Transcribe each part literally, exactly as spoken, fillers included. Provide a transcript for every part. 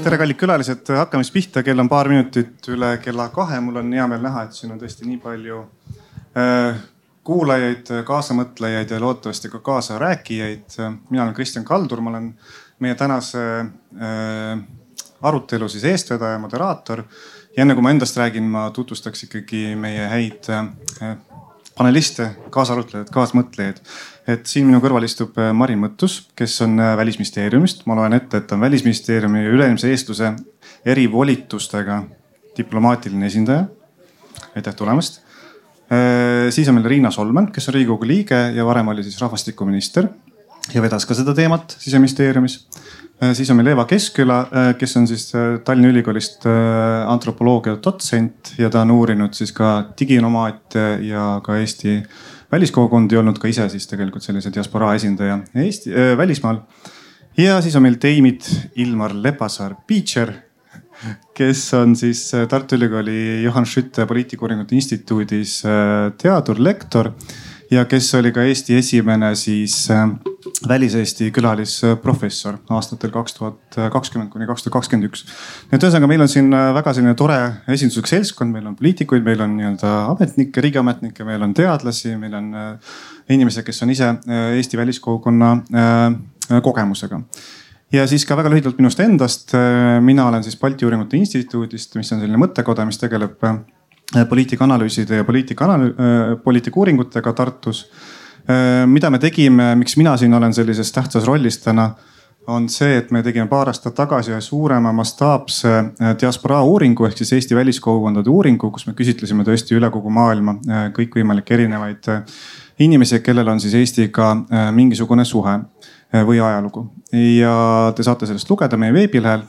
tere, kallid külalised, hakkame siis pihta, kell on paar minutit üle kella kahe. Mul on hea meel näha, et siin on tõesti nii palju äh, kuulajaid, kaasamõtlejaid ja loodetavasti ka kaasarääkijaid. Mina olen Kristjan Kaldur, ma olen meie tänase äh, arutelu siis eestvedaja, moderaator. Ja enne kui ma endast räägin, ma tutvustaks ikkagi meie häid äh, paneliste, kaasarutlejad, kaasmõtlejaid. Et siin minu kõrval istub Marin Mõttus, kes on Välisministeeriumist. Ma loen ette, et on Välisministeeriumi üleilmse eestluse erivolitustega diplomaatiline esindaja. Aitäh tulemast. Siis on meil Riina Solman, kes on Riigikogu liige ja varem oli siis rahvastikuminister ja vedas ka seda teemat Siseministeeriumis. Siis on meil Eva Keskküla, kes on siis Tallinna Ülikoolist antropoloogia dotsent ja ta on uurinud siis ka diginomaate ja ka Eesti väliskogukondi, olnud ka ise siis tegelikult sellise diasporaa esindaja Eesti äh, välismaal. Ja siis on meil Teimit Ilmar Lepasaar-Piicher, kes on siis Tartu Ülikooli Johan Skytte poliitikauuringute instituudis äh, teadurlektor ja kes oli ka Eesti esimene siis äh, väliseesti külalisprofessor aastatel kaks tuhat kakskümmend kuni kaks tuhat kakskümmend üks. Nüüd ühesõnaga meil on siin väga selline tore esinduslik seltskond, meil on poliitikuid, meil on nii-öelda ametnikke, riigiametnikke, meil on teadlasi, meil on inimesed, kes on ise Eesti väliskogukonna kogemusega. Ja siis ka väga lühidalt minust endast. Mina olen siis Balti Uuringute Instituudist, mis on selline mõttekoda, mis tegeleb poliitikaanalüüside ja poliitikauuringutega Tartus. Mida me tegime, miks mina siin olen sellises tähtsas rollis täna, on see, et me tegime paar aastat tagasi suurema mastaapse diasporaa uuringu ehk siis Eesti väliskogukondade uuringu, kus me küsitlesime tõesti üle kogu maailma kõikvõimalikke erinevaid inimesi, kellel on siis Eestiga mingisugune suhe või ajalugu. Ja te saate sellest lugeda meie veebilehel.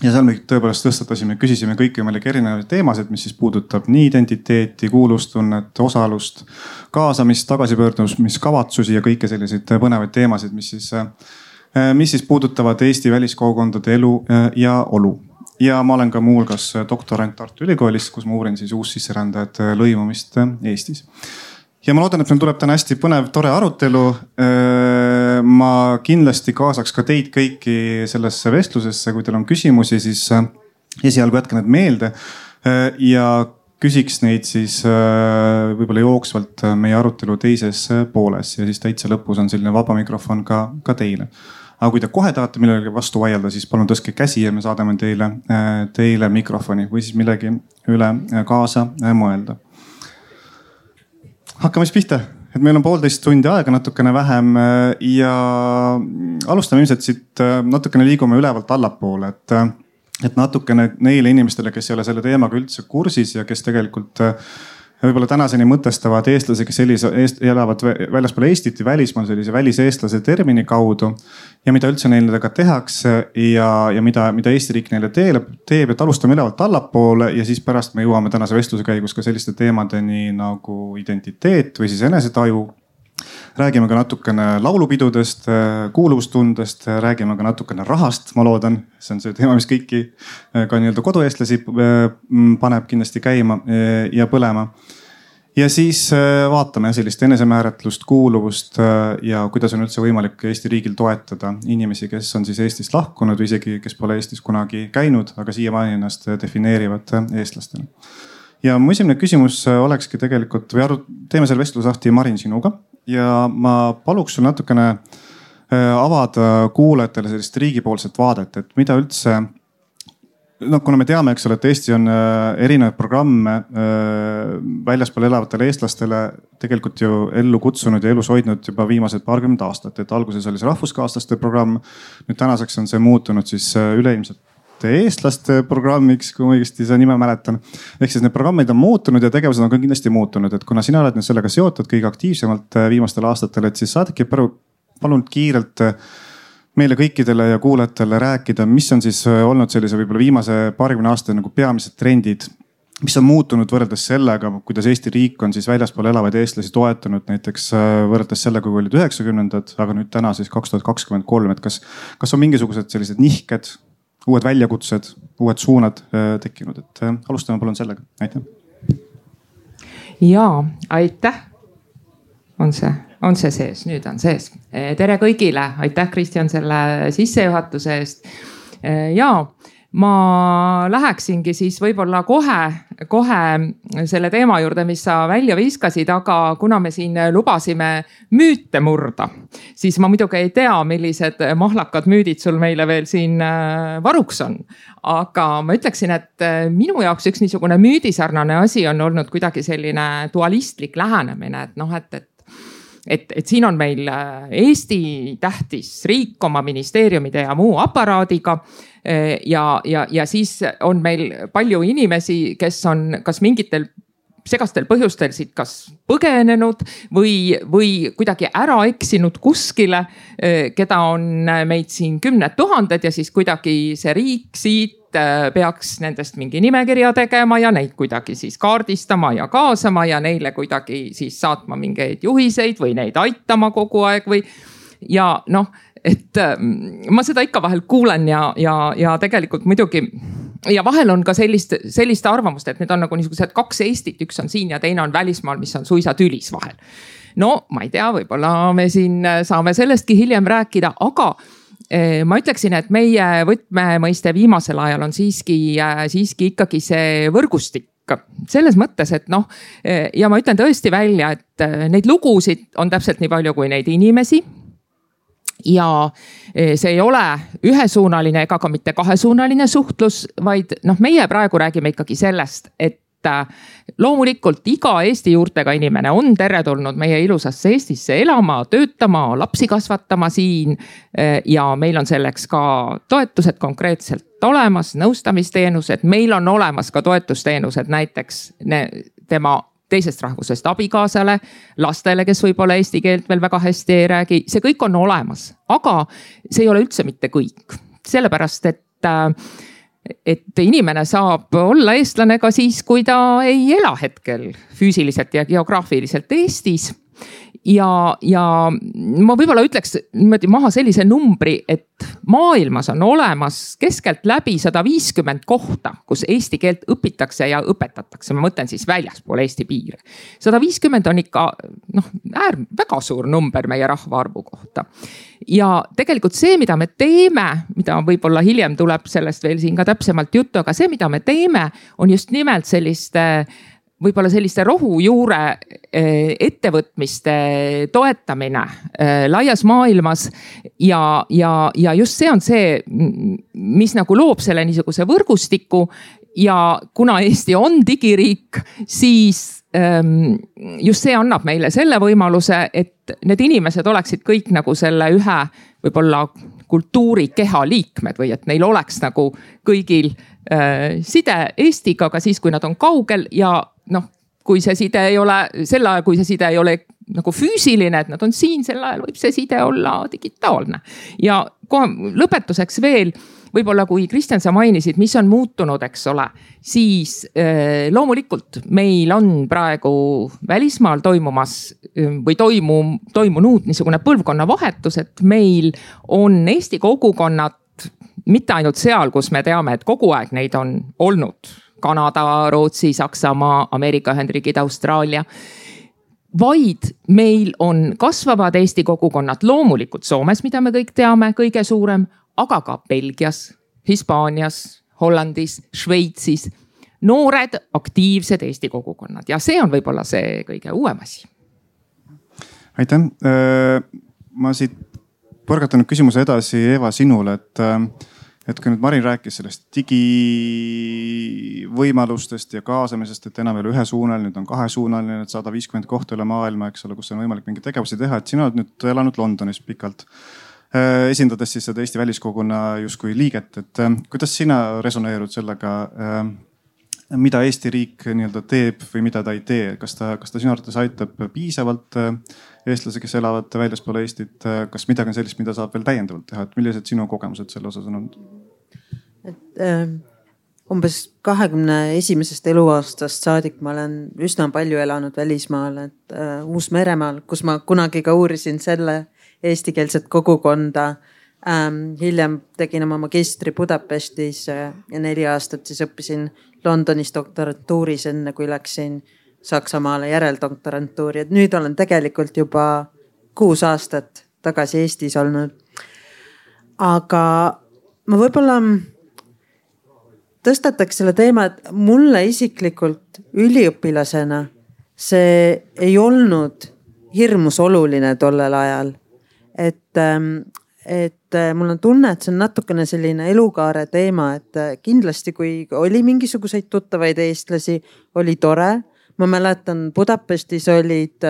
Ja seal me tõepoolest tõstatasime, küsisime kõikvõimalikke erinevaid teemasid, mis siis puudutab nii identiteeti, kuulustunnet, osalust, kaasamist, tagasipöördumiskavatsusi ja kõike selliseid põnevaid teemasid, mis siis, mis siis puudutavad Eesti väliskogukondade elu ja olu. Ja ma olen ka muu hulgas doktorant Tartu Ülikoolis, kus ma uurin siis uussisserändajate lõimumist Eestis. Ja ma loodan, et meil tuleb täna hästi põnev, tore arutelu. Ma kindlasti kaasaks ka teid kõiki sellesse vestlusesse, kui teil on küsimusi, siis esialgu jätke need meelde ja küsiks neid siis võib-olla jooksvalt meie arutelu teises pooles ja siis täitsa lõpus on selline vaba mikrofon ka, ka teile. Aga kui te kohe tahate millegi vastu vaielda, siis palun tõstke käsi ja me saadame teile, teile mikrofoni või siis millegi üle kaasa mõelda. Hakkame siis pihta, et meil on poolteist tundi aega, natukene vähem ja alustame ilmselt siit natukene liigume ülevalt allapoole, et, et natukene neile inimestele, kes ei ole selle teemaga üldse kursis ja kes tegelikult võib-olla tänaseni mõtestavad eestlasi, kes sellise, eest, elavad väljaspool Eestit ja välismaal sellise väliseestlase termini kaudu ja mida üldse neile tehakse ja, ja mida, mida Eesti riik neile teeb, teeb, et alustame ülevalt allapoole ja siis pärast me jõuame tänase vestluse käigus ka selliste teemadeni nagu identiteet või siis enesetaju. Räägime ka natukene laulupidudest, kuuluvustundest, räägime ka natukene rahast, ma loodan. See on see teema, mis kõiki ka nii-öelda kodueestlasi paneb kindlasti käima ja põlema. Ja siis vaatame sellist enesemääratlust, kuuluvust ja kuidas on üldse võimalik Eesti riigil toetada inimesi, kes on siis Eestist lahkunud või isegi, kes pole Eestis kunagi käinud, aga siiamaani ennast defineerivad eestlastena. Ja mu esimene küsimus olekski tegelikult, või aru, teeme selle vestlusahti Marin sinuga. Ja ma paluks sul natukene avada kuulajatele sellist riigipoolset vaadet, et mida üldse, no kuna me teame, eks ole, et Eesti on erinevaid programme väljaspool elavatele eestlastele tegelikult ju ellu kutsunud ja elus hoidnud juba viimased paarkümmend aastat, et alguses oli see rahvuskaaslaste programm. Nüüd tänaseks on see muutunud siis üleilmselt eestlaste programmiks, kui ma õigesti seda nime mäletan. Ehk siis need programmid on muutunud ja tegevused on ka kindlasti muutunud, et kuna sina oled nüüd sellega seotud kõige aktiivsemalt viimastel aastatel, et siis saadagi palun kiirelt meile kõikidele ja kuulajatele rääkida, mis on siis olnud sellise võib-olla viimase paarikümne aasta nagu peamised trendid, mis on muutunud võrreldes sellega, kuidas Eesti riik on siis väljaspool elavaid eestlasi toetanud näiteks võrreldes sellega, kui olid üheksakümnendad, aga nüüd täna siis kaks tuhat kakskümmend kolm, et kas, kas on mingisugused sellised nihked, uued väljakutsed, uued suunad tekkinud, et alustame palun sellega. Aitäh. Jaa, aitäh. On see, on see sees, nüüd on sees. Tere kõigile, aitäh Kristjan selle sissejuhatuse eest. Jaa, ma läheksingi siis võib-olla kohe, kohe selle teema juurde, mis sa välja viskasid, aga kuna me siin lubasime müüte murda, siis ma muidugi ei tea, millised mahlakad müüdid sul meile veel siin varuks on. Aga ma ütleksin, et minu jaoks üks niisugune müüdisarnane asi on olnud kuidagi selline dualistlik lähenemine, et noh, et, et Et, et siin on meil Eesti tähtis riik oma ministeeriumide ja muu aparaadiga ja, ja, ja siis on meil palju inimesi, kes on kas mingitel segastel põhjustel siit kas põgenenud või, või kuidagi ära eksinud kuskile, keda on meid siin kümned tuhanded ja siis kuidagi see riik siit peaks nendest mingi nimekirja tegema ja neid kuidagi siis kaardistama ja kaasama ja neile kuidagi siis saatma mingeid juhiseid või neid aitama kogu aeg või ja noh, et ma seda ikka vahel kuulen ja, ja, ja tegelikult muidugi ja vahel on ka sellist, sellist arvamust, et need on nagu niisugused kaks Eestit, üks on siin ja teine on välismaal, mis on suisa tülis vahel. No ma ei tea, võib-olla me siin saame sellestki hiljem rääkida, aga ma ütleksin, et meie võtmemõiste viimasel ajal on siiski, siiski ikkagi see võrgustik selles mõttes, et noh, ja ma ütlen tõesti välja, et neid lugusid on täpselt nii palju kui neid inimesi. Ja see ei ole ühesuunaline ega ka mitte kahesuunaline suhtlus, vaid noh, meie praegu räägime ikkagi sellest, et loomulikult iga Eesti juurtega inimene on teretulnud meie ilusasse Eestisse elama, töötama, lapsi kasvatama siin ja meil on selleks ka toetused konkreetselt olemas, nõustamisteenused, meil on olemas ka toetusteenused näiteks tema teisest rahvusest abikaasale, lastele, kes võib-olla eesti keelt veel väga hästi ei räägi, see kõik on olemas, aga see ei ole üldse mitte kõik, sellepärast et et inimene saab olla eestlane ka siis, kui ta ei ela hetkel füüsiliselt ja geograafiliselt Eestis. Ja, ja ma võib-olla ütleks niimoodi maha sellise numbri, et maailmas on olemas keskelt läbi sada viiskümmend kohta, kus eesti keelt õpitakse ja õpetatakse. Ma mõtlen siis väljaspool Eesti piire. sada viiskümmend on ikka noh, äär, väga suur number meie rahvaarvu kohta. Ja tegelikult see, mida me teeme, mida võib-olla hiljem tuleb sellest veel siin ka täpsemalt juttu, aga see, mida me teeme, on just nimelt selliste võib-olla selliste rohujuure ettevõtmiste toetamine laias maailmas ja, ja, ja just see on see, mis nagu loob selle niisuguse võrgustiku ja kuna Eesti on digiriik, siis just see annab meile selle võimaluse, et need inimesed oleksid kõik nagu selle ühe võib-olla kultuurikeha liikmed või et neil oleks nagu kõigil side Eestiga, aga siis, kui nad on kaugel ja noh, kui see side ei ole, sel ajal, kui see side ei ole nagu füüsiline, et nad on siin, sel ajal võib see side olla digitaalne. Ja lõpetuseks veel, võib-olla kui Kristjan, sa mainisid, mis on muutunud, eks ole, siis eh, loomulikult meil on praegu välismaal toimumas või toimu, toimunud niisugune põlvkonna vahetus, et meil on Eesti kogukonnad mitte ainult seal, kus me teame, et kogu aeg neid on olnud Kanada, Rootsi, Saksamaa, Ameerika Ühendriigid, Austraalia, vaid meil on kasvavad Eesti kogukonnad loomulikult Soomes, mida me kõik teame, kõige suurem, aga ka Belgias, Hispaanias, Hollandis, Šveitsis, noored, aktiivsed Eesti kogukonnad ja see on võib-olla see kõige uuem asi. Aitäh. Ma siit põrgatan nüüd küsimuse edasi Eva sinule, et et kui nüüd Marin rääkis sellest digivõimalustest ja kaasamisest, et enam ei ole ühesuunaline, nüüd on kahesuunaline, et sada viiskümmend kohta üle maailma, eks ole, kus on võimalik mingi tegevusi teha, et sina oled nüüd elanud Londonis pikalt, esindades siis seda Eesti väliskoguna justkui liiget, et kuidas sina resoneerud sellega, mida Eesti riik nii-öelda teeb või mida ta ei tee, kas ta, kas ta sinu arvates aitab piisavalt eestlasi, kes elavad väljaspool Eestit, kas midagi on sellist, mida saab veel täiendavalt teha, et millised sinu kogemused selle osas on olnud? Et, äh, umbes kahekümne esimesest eluaastast saadik ma olen üsna palju elanud välismaal, et äh, Uus-Meremaal, kus ma kunagi ka uurisin selle eestikeelset kogukonda. Ähm, hiljem tegin oma magistri Budapestis äh, ja neli aastat siis õppisin Londonis doktorantuuris, enne kui läksin Saksamaale järeldoktorantuuri, et nüüd olen tegelikult juba kuus aastat tagasi Eestis olnud. Aga ma võib-olla tõstataks selle teema, et mulle isiklikult üliõpilasena see ei olnud hirmus oluline tollel ajal. Et, et mul on tunne, et see on natukene selline elukaare teema, et kindlasti kui oli mingisuguseid tuttavaid eestlasi, oli tore. Ma mäletan, Budapestis olid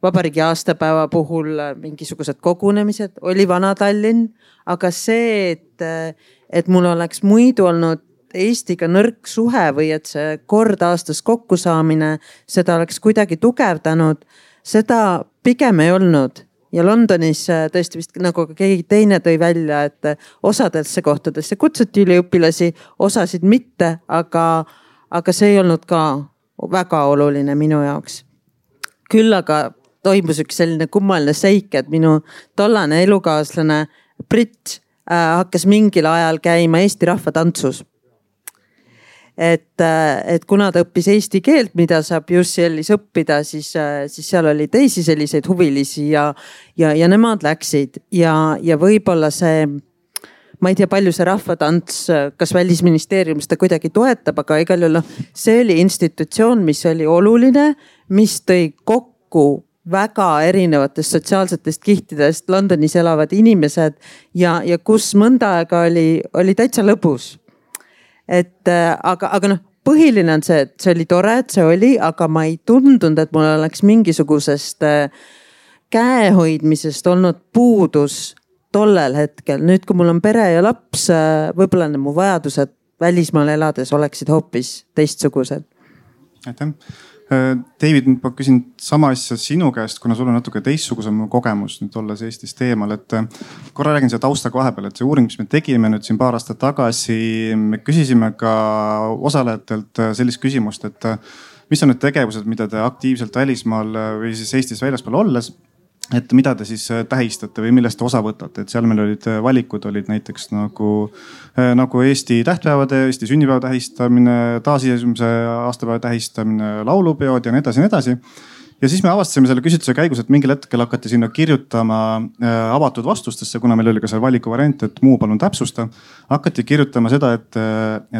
vabariigi aastapäeva puhul mingisugused kogunemised, oli Vana-Tallinn, aga see, et, et mul oleks muidu olnud Eestiga nõrk suhe või et see kord aastas kokkusaamine, seda oleks kuidagi tugevdanud, seda pigem ei olnud. Ja Londonis tõesti vist nagu keegi teine tõi välja, et osadesse kohtadesse kutsuti üliõpilasi, osasid mitte, aga, aga see ei olnud ka väga oluline minu jaoks. Küll aga toimus üks selline kummaline seik, et minu tollane elukaaslane Brit äh, hakkas mingil ajal käima Eesti rahvatantsus. Et, et kuna ta õppis eesti keelt, mida saab U C L-is õppida, siis, siis seal oli teisi selliseid huvilisi ja, ja, ja nemad läksid ja, ja võib-olla see, ma ei tea, palju see rahvatants, kas Välisministeerium seda kuidagi toetab, aga igal juhul see oli institutsioon, mis oli oluline, mis tõi kokku väga erinevatest sotsiaalsetest kihtidest Londonis elavad inimesed ja, ja kus mõnda aega oli, oli täitsa lõbus. Et aga, aga noh, põhiline on see, et see oli tore, et see oli, aga ma ei tundunud, et mul oleks mingisugusest käehoidmisest olnud puudus tollel hetkel. Nüüd, kui mul on pere ja laps, võib-olla mu vajadused välismaal elades oleksid hoopis teistsugused. Aitäh. David, ma küsin sama asja sinu käest, kuna sul on natuke teistsugusem kogemus nüüd olles Eestis teemal, et korra räägin selle taustaga vahepeal, et see uuring, mis me tegime nüüd siin paar aastat tagasi, me küsisime ka osalejatelt sellist küsimust, et mis on need tegevused, mida te aktiivselt välismaal või siis Eestis väljaspool olles, et mida te siis tähistate või millest te osa võtate, et seal meil olid valikud olid näiteks nagu, nagu Eesti tähtpäevade, Eesti sünnipäeva tähistamine, taasiseseisvumise aastapäeva tähistamine, laulupeod ja nii edasi, nii edasi. Ja siis me avastasime selle küsitluse käigus, et mingil hetkel hakati sinna kirjutama avatud vastustesse, kuna meil oli ka see valiku variant, et muu palun täpsusta. Hakati kirjutama seda, et,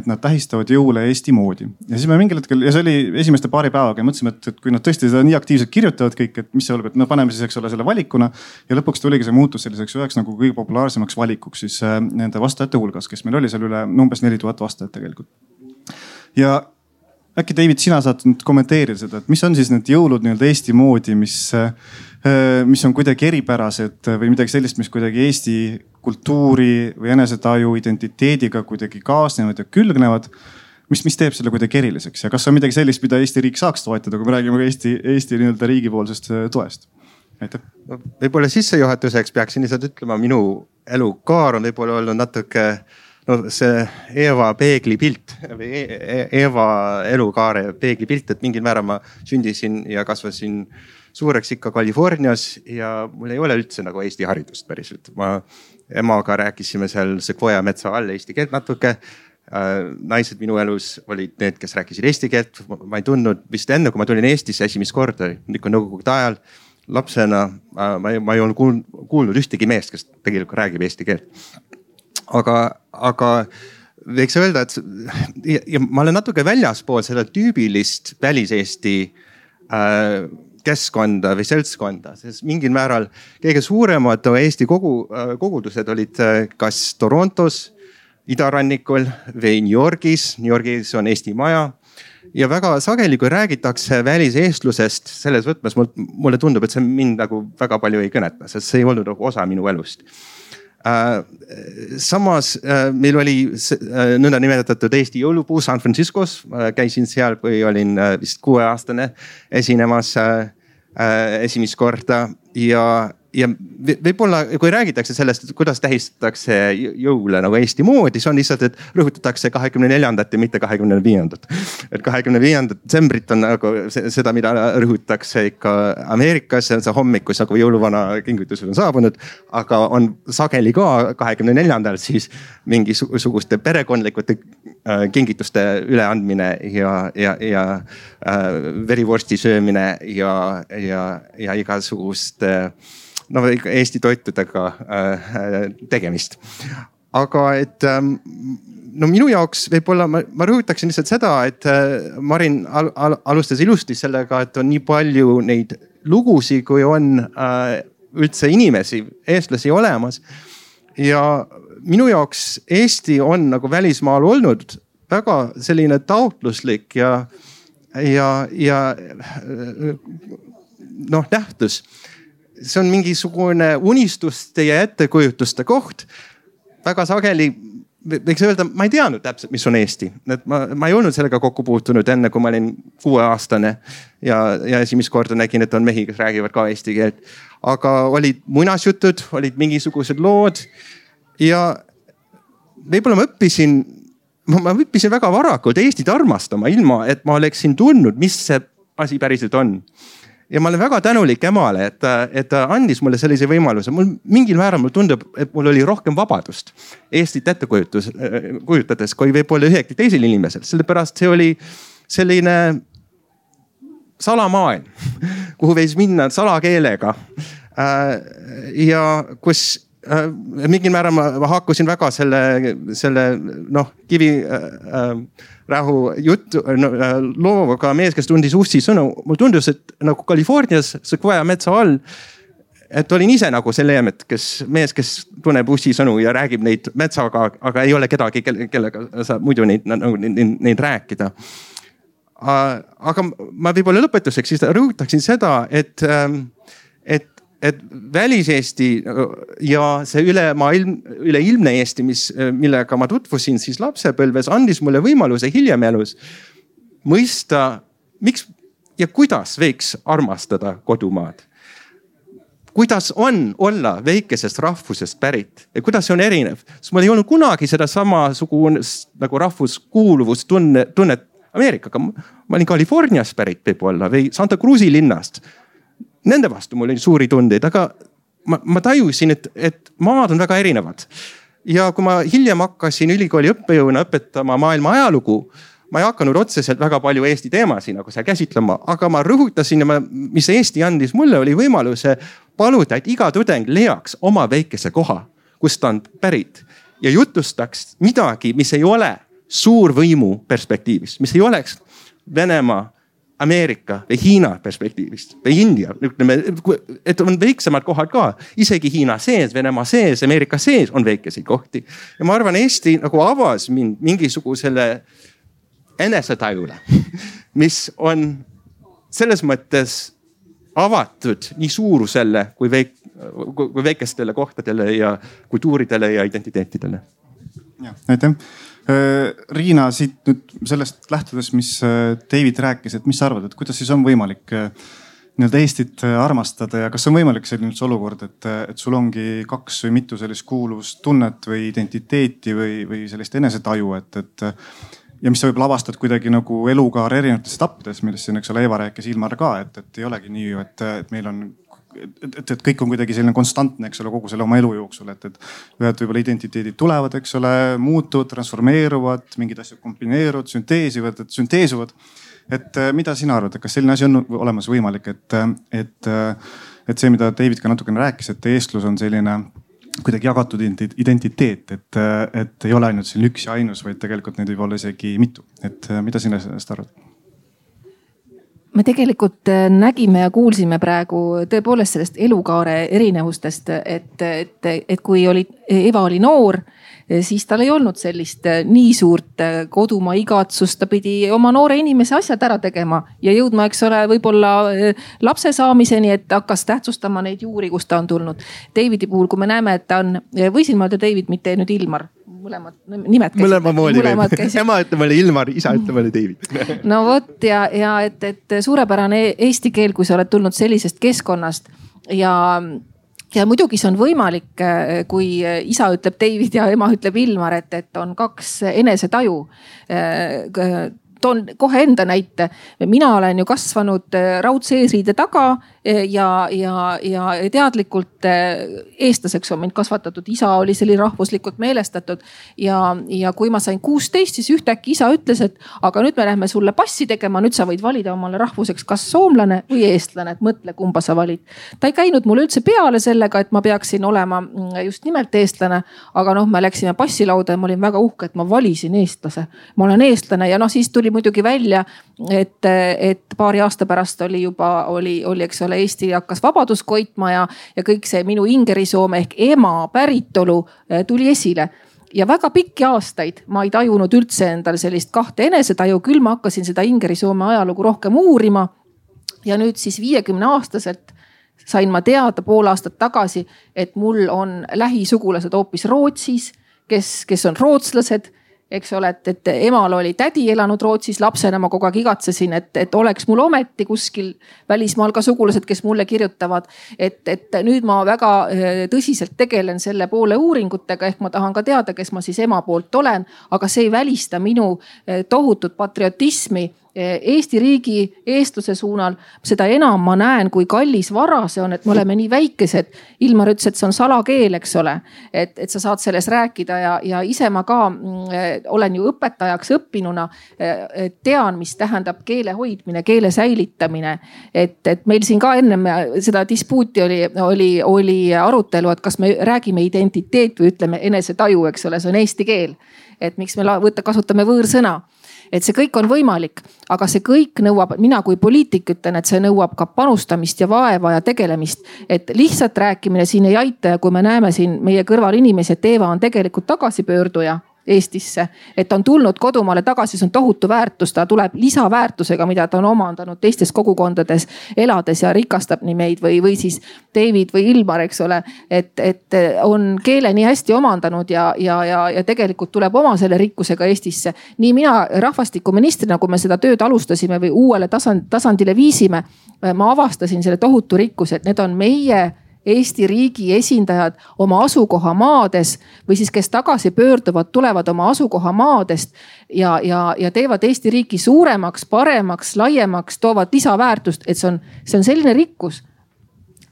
et nad tähistavad jõule Eesti moodi. Ja siis me mingil hetkel, ja see oli esimeste paari päevaga ja mõtlesime, et, et kui nad tõesti seda nii aktiivselt kirjutavad kõik, et mis see oleb, et no paneme siis, eks ole, selle valikuna. Ja lõpuks tuligi see muutus selliseks üheks nagu kõige populaarsemaks valikuks siis nende vastajate hulgas, kes meil oli seal üle umbes neli tuhat vastajat tegelikult. Ja äkki David, sina saad nüüd kommenteerida seda, et mis on siis need jõulud nii-öelda Eesti moodi, mis, mis on kuidagi eripärased või midagi sellist, mis kuidagi Eesti kultuuri või enesetaju identiteediga kuidagi kaasnevad ja külgnevad. Mis, mis teeb selle kuidagi eriliseks ja kas on midagi sellist, mida Eesti riik saaks toetada, kui me räägime Eesti, Eesti nii-öelda riigipoolsest toest? Aitäh. Võib-olla sissejuhatuseks peaksin lihtsalt ütlema, minu elukaar on võib-olla olnud natuke no see Eeva peeglipilt või Eeva elukaare peeglipilt, et mingil määral ma sündisin ja kasvasin suureks ikka Californias ja mul ei ole üldse nagu Eesti haridust päriselt. Ma emaga rääkisime seal Sequoia metsa all eesti keelt natuke. Naised minu elus olid need, kes rääkisid eesti keelt. Ma ei tundnud vist enne, kui ma tulin Eestisse esimest korda, ikka nõukogude ajal lapsena. Ma ei, ma ei olnud kuulnud ühtegi meest, kes tegelikult räägib eesti keelt. Aga, aga võiks öelda, et ja, ja ma olen natuke väljaspool seda tüübilist välis-Eesti äh, keskkonda või seltskonda, sest mingil määral kõige suuremad Eesti kogu, äh, kogudused olid äh, kas Torontos, idarannikul või New Yorgis. New Yorgis on Eesti maja ja väga sageli, kui räägitakse väliseestlusest selles võtmes, mulle tundub, et see mind nagu väga palju ei kõneta, sest see ei olnud osa minu elust. Samas meil oli nõnda nimetatud Eesti jõulupuu San Franciscos. Käisin seal, kui olin vist kuueaastane esinemas esimest korda ja, ja võib-olla kui räägitakse sellest, kuidas tähistatakse jõule nagu Eesti moodi, see on lihtsalt, et rõhutatakse kahekümne neljandat ja mitte kahekümne viiendat. Et kahekümne viiendat detsembrit on nagu seda, mida rõhutatakse ikka Ameerikas, see on see hommikus nagu jõuluvana kingitused on saabunud, aga on sageli ka kahekümne neljandal siis mingisuguste perekondlikute kingituste üleandmine ja, ja, ja verivorsti söömine ja, ja, ja igasuguste no Eesti toitudega tegemist. aga et no minu jaoks võib-olla ma, ma rõhutaksin lihtsalt seda, et Marin al, al, alustas ilusti sellega, et on nii palju neid lugusid, kui on äh, üldse inimesi, eestlasi olemas. Ja minu jaoks Eesti on nagu välismaal olnud väga selline taotluslik ja, ja, ja noh, nähtus. See on mingisugune unistuste ja ettekujutuste koht. Väga sageli võiks öelda, ma ei teadnud täpselt, mis on Eesti. Et ma, ma ei olnud sellega kokku puutunud enne, kui ma olin kuueaastane ja, ja esimest korda nägin, et on mehi, kes räägivad ka eesti keelt. Aga olid muinasjutud, olid mingisugused lood ja võib-olla ma õppisin, ma õppisin väga varakult Eestit armastama, ilma et ma oleksin tundnud, mis see asi päriselt on. Ja ma olen väga tänulik emale, et, et ta andis mulle sellise võimaluse. Mul mingil määral mul tundub, et mul oli rohkem vabadust Eestit ette kujutades, kui võib-olla ühegi teisel inimesel. Sellepärast see oli selline salamaailm, kuhu võis minna salakeelega. Ja kus mingil määral ma, ma hakkusin väga selle, selle noh, kivi äh, rahu juttu no, looga mees, kes tundis ussi sõnu. Mul tundus, et nagu Californias Sequoia metsa all, et olin ise nagu see leemet, kes mees, kes tunneb ussi sõnu ja räägib neid metsaga, aga ei ole kedagi, kellega saab muidu neid, neid, neid rääkida. Aga ma võib-olla lõpetuseks siis rõhutaksin seda, et, et et välis-Eesti ja see ülemaailm, üleilmne Eesti, mis, millega ma tutvusin siis lapsepõlves, andis mulle võimaluse hiljem elus mõista, miks ja kuidas võiks armastada kodumaad. Kuidas on olla väikesest rahvusest pärit ja kuidas see on erinev. Sest mul ei olnud kunagi seda samasugust nagu rahvuskuuluvust tunne, tunnet Ameerikaga. Ma olin Californias pärit võib-olla või Santa Cruzi linnast. Nende vastu mul oli suuri tundeid, aga ma, ma tajusin, et, et maad on väga erinevad. Ja kui ma hiljem hakkasin ülikooli õppejõuna õpetama maailma ajalugu, ma ei hakanud otseselt väga palju Eesti teemasid nagu seal käsitlema, aga ma rõhutasin, mis Eesti andis mulle, oli võimaluse paluda, et iga tudeng leiaks oma väikese koha, kust ta on pärit ja jutustaks midagi, mis ei ole suurvõimu perspektiivist, mis ei oleks Venemaa, Ameerika või Hiina perspektiivist või India, ütleme, et on väiksemad kohad ka. Isegi Hiina sees, Venemaa sees, Ameerika sees on väikeseid kohti. Ja ma arvan, Eesti nagu avas mind mingisugusele enesetajule, mis on selles mõttes avatud nii suurusele kui, väik, kui väikestele kohtadele ja kultuuridele ja identiteetidele. Ja, aitäh. Riina, siit nüüd sellest lähtudes, mis David rääkis, et mis sa arvad, et kuidas siis on võimalik nii-öelda Eestit armastada ja kas on võimalik selline olukord, et, et sul ongi kaks või mitu sellist kuuluvustunnet või identiteeti või, või sellist enesetaju, et, et ja mis sa võib-olla avastad kuidagi nagu elukaar erinevates etappides, millest siin, eks ole, Eva rääkis Ilmar ka, et, et ei olegi nii, et, et meil on Et, et kõik on kuidagi selline konstantne, eks ole, kogu selle oma elu jooksul, et, et ühed võib-olla identiteedid tulevad, eks ole, muutuvad, transformeeruvad, mingid asjad kombineeruvad, sünteesivad, et sünteesuvad. Et mida sina arvad, et kas selline asi on olemas võimalik, et, et, et see, mida David ka natukene rääkis, et eestlus on selline kuidagi jagatud identiteet, et, et ei ole ainult selline üks ja ainus, vaid tegelikult neid võib olla isegi mitu. Et mida sina sellest arvad? Me tegelikult nägime ja kuulsime praegu tõepoolest sellest elukaare erinevustest, et, et, et kui oli, Eva oli noor, siis tal ei olnud sellist nii suurt kodumaa igatsust, ta pidi oma noore inimese asjad ära tegema ja jõudma, eks ole, võib-olla lapse saamiseni, et hakkas tähtsustama neid juuri, kust ta on tulnud. Davidi puhul, kui me näeme, et ta on, võisin ma öelda David, mitte nüüd Ilmar. Mõlemad nimed käisid. Mõlema moodi võib. Ema ütleb oli Ilmar, isa ütleb oli David. No vot ja, ja et, et suurepärane eesti keel, kui sa oled tulnud sellisest keskkonnast ja, ja muidugi see on võimalik, kui isa ütleb David ja ema ütleb Ilmar, et, et on kaks enesetaju. toon kohe enda näite. mina olen ju kasvanud raudse eesriide taga ja, ja, ja teadlikult eestlaseks on mind kasvatatud. isa oli selline rahvuslikult meelestatud ja, ja kui ma sain kuusteist, siis ühtäkki isa ütles, et aga nüüd me lähme sulle passi tegema, nüüd sa võid valida omale rahvuseks kas soomlane või eestlane, et mõtle, kumba sa valid. ta ei käinud mulle üldse peale sellega, et ma peaksin olema just nimelt eestlane, aga noh, me läksime passilauda ja ma olin väga uhke, et ma valisin eestlase. ma olen eestlane ja noh, siis tuli muidugi välja, et, et paari aasta pärast oli juba, oli, oli, eks ole, Eesti hakkas vabadust koitma ja, ja kõik see minu ingerisoome ehk ema päritolu tuli esile. ja väga pikki aastaid ma ei tajunud üldse endal sellist kahte enesetaju, küll ma hakkasin seda ingerisoome ajalugu rohkem uurima. ja nüüd siis viiekümne aastaselt sain ma teada pool aastat tagasi, et mul on lähisugulased hoopis Rootsis, kes, kes on rootslased. eks ole, et, et emal oli tädi elanud Rootsis, lapsena ma kogu aeg igatsesin, et, et oleks mul ometi kuskil välismaal ka sugulased, kes mulle kirjutavad. et, et nüüd ma väga tõsiselt tegelen selle poole uuringutega, ehk ma tahan ka teada, kes ma siis ema poolt olen, aga see ei välista minu tohutut patriotismi Eesti riigi, eestluse suunal. seda enam ma näen, kui kallis vara see on, et me oleme nii väikesed. Ilmar ütles, et see on salakeel, eks ole, et, et sa saad selles rääkida ja, ja ise ma ka äh, olen ju õpetajaks õppinuna äh,. tean, mis tähendab keele hoidmine, keele säilitamine. et, et meil siin ka ennem seda dispuuti oli, oli, oli arutelu, et kas me räägime identiteet või ütleme enesetaju, eks ole, see on eesti keel. et miks me võtta, kasutame võõrsõna. et see kõik on võimalik, aga see kõik nõuab, mina kui poliitik ütlen, et see nõuab ka panustamist ja vaeva ja tegelemist. et lihtsalt rääkimine siin ei aita ja kui me näeme siin meie kõrval inimesi, et Eeva on tegelikult tagasipöörduja Eestisse, et on tulnud kodumaale tagasi, see on tohutu väärtus, ta tuleb lisaväärtusega, mida ta on omandanud teistes kogukondades elades ja rikastab nii meid või, või siis David või Ilmar, eks ole. et, et on keele nii hästi omandanud ja, ja, ja, ja tegelikult tuleb oma selle rikkusega Eestisse. nii mina rahvastikuministrina, kui me seda tööd alustasime või uuele tasand, tasandile viisime, ma avastasin selle tohutu rikkuse, et need on meie Eesti riigi esindajad oma asukohamaades või siis kes tagasi pöörduvad, tulevad oma asukohamaadest ja, ja, ja teevad Eesti riiki suuremaks, paremaks, laiemaks, toovad lisaväärtust, et see on, see on selline rikkus,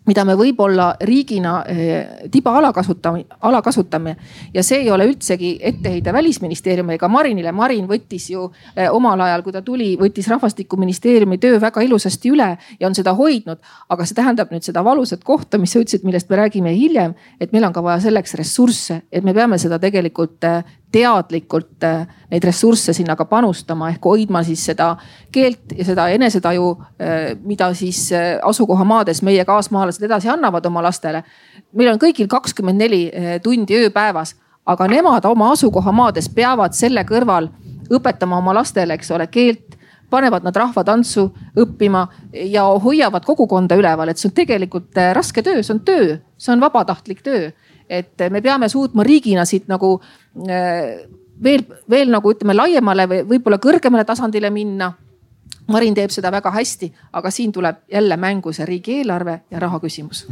mida me võib-olla riigina eh, tiba alakasutame, alakasutame. ja see ei ole üldsegi etteheide Välisministeeriumi ega Marinile. Marin võttis ju eh, omal ajal, kui ta tuli, võttis rahvastikuministeeriumi töö väga ilusasti üle ja on seda hoidnud. aga see tähendab nüüd seda valusat kohta, mis sa ütlesid, millest me räägime hiljem, et meil on ka vaja selleks ressursse, et me peame seda tegelikult eh, teadlikult neid ressursse sinna ka panustama ehk hoidma siis seda keelt ja seda enesetaju, mida siis asukohamaades meie kaasmaalased edasi annavad oma lastele. meil on kõigil kakskümmend neli tundi ööpäevas, aga nemad oma asukohamaades peavad selle kõrval õpetama oma lastele, eks ole, keelt, panevad nad rahvatantsu õppima ja hoiavad kogukonda üleval, et see on tegelikult raske töö, see on töö, see on vabatahtlik töö. et me peame suutma riigina siit nagu veel, veel nagu ütleme laiemale või võib-olla kõrgemale tasandile minna. Marin teeb seda väga hästi, aga siin tuleb jälle mängu see riigieelarve ja raha küsimus.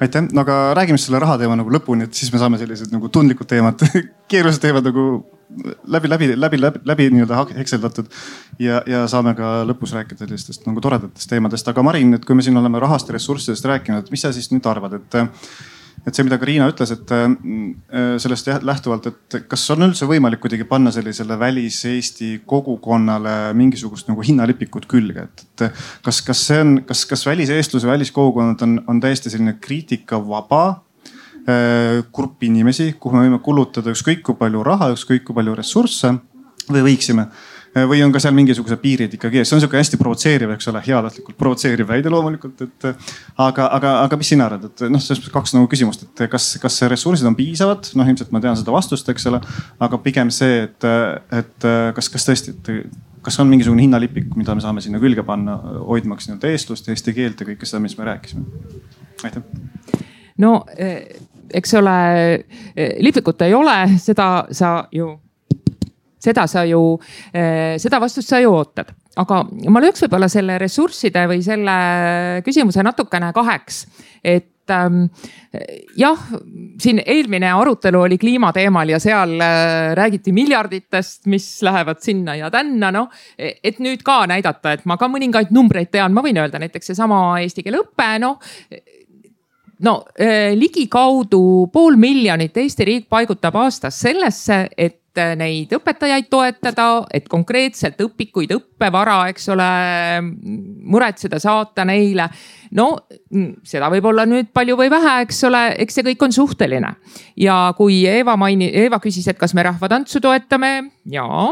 aitäh, no aga räägime selle raha teema nagu lõpuni, et siis me saame sellised nagu tundlikud teemad, keerulised teemad nagu läbi, läbi, läbi, läbi, läbi nii-öelda hekseldatud ja, ja saame ka lõpus rääkida sellistest nagu toredatest teemadest. aga Marin, et kui me siin oleme rahast ja ressurssidest rääkinud, et mis sa siis nüüd arvad, et et see, mida ka Riina ütles, et sellest lähtuvalt, et kas on üldse võimalik kuidagi panna sellisele välis-Eesti kogukonnale mingisugust nagu hinnalipikut külge, et, et kas, kas see on, kas, kas väliseestluse, väliskogukonnad on, on täiesti selline kriitikavaba grupp inimesi, kuhu me võime kulutada ükskõik kui palju raha, ükskõik kui palju ressursse või võiksime. või on ka seal mingisugused piirid ikkagi ees, see on sihuke hästi provotseeriv, eks ole, heatahtlikult provotseeriv väide loomulikult, et aga, aga, aga mis sina arvad, et noh, selles mõttes kaks nagu küsimust, et kas, kas ressursid on piisavad, noh ilmselt ma tean seda vastust, eks ole, aga pigem see, et, et kas, kas tõesti, et kas on mingisugune hinnalipik, mida me saame sinna külge panna, hoidmaks nii-öelda eestlust, eesti keelt ja kõike seda, mis me rääkisime. aitäh. no eks ole, lipikut ei ole, seda sa ju seda sa ju, seda vastust sa ju ootad, aga ma lööks võib-olla selle ressursside või selle küsimuse natukene kaheks. et ähm, jah, siin eelmine arutelu oli kliimateemal ja seal äh, räägiti miljarditest, mis lähevad sinna ja tänna, noh. Et nüüd ka näidata, et ma ka mõningaid numbreid tean, ma võin öelda näiteks seesama eesti keele õppe, noh. No äh, ligikaudu pool miljonit Eesti riik paigutab aastas sellesse, et neid õpetajaid toetada, et konkreetselt õpikuid, õppevara, eks ole, muretseda, saata neile. No seda võib olla nüüd palju või vähe, eks ole, eks see kõik on suhteline. Ja kui Eeva maini, Eeva küsis, et kas me rahvatantsu toetame, jaa,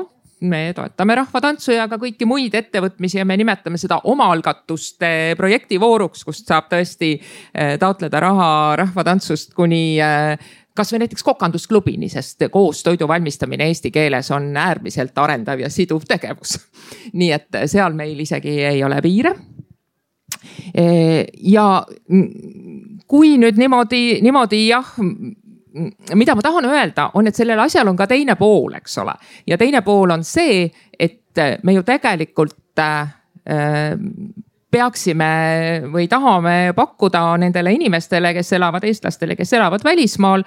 me toetame rahvatantsu ja ka kõiki muid ettevõtmisi ja me nimetame seda omaalgatuste projektivooruks, kust saab tõesti taotleda raha rahvatantsust kuni kas või näiteks kokandusklubini, sest koos toidu valmistamine eesti keeles on äärmiselt arendav ja siduv tegevus. Nii et seal meil isegi ei ole piire. Ja kui nüüd niimoodi, niimoodi jah, mida ma tahan öelda, on, et sellel asjal on ka teine pool, eks ole. Ja teine pool on see, et me ju tegelikult äh, peaksime või tahame pakkuda nendele inimestele, kes elavad, eestlastele, kes elavad välismaal,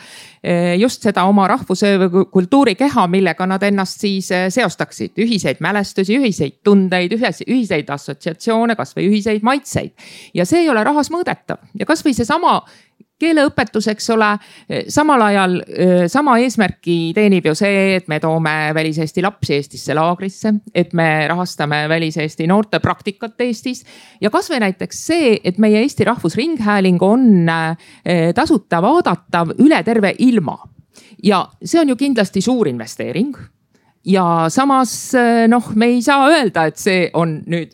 just seda oma rahvuse või kultuurikeha, millega nad ennast siis seostaksid. Ühiseid mälestusi, ühiseid tundeid, ühiseid assotsiatsioone, kas või ühiseid maitseid. Ja see ei ole rahas mõõdetav. Ja kas või see sama keeleõpetus, eks ole, samal ajal sama eesmärki teenib ju see, et me toome väliseesti lapsi Eestisse laagrisse, et me rahastame väliseesti noorte praktikat Eestis. Ja kas või näiteks see, et meie Eesti Rahvusringhääling on tasuta vaadatav üle terve ilma. Ja see on ju kindlasti suur investeering. Ja samas noh, me ei saa öelda, et see on nüüd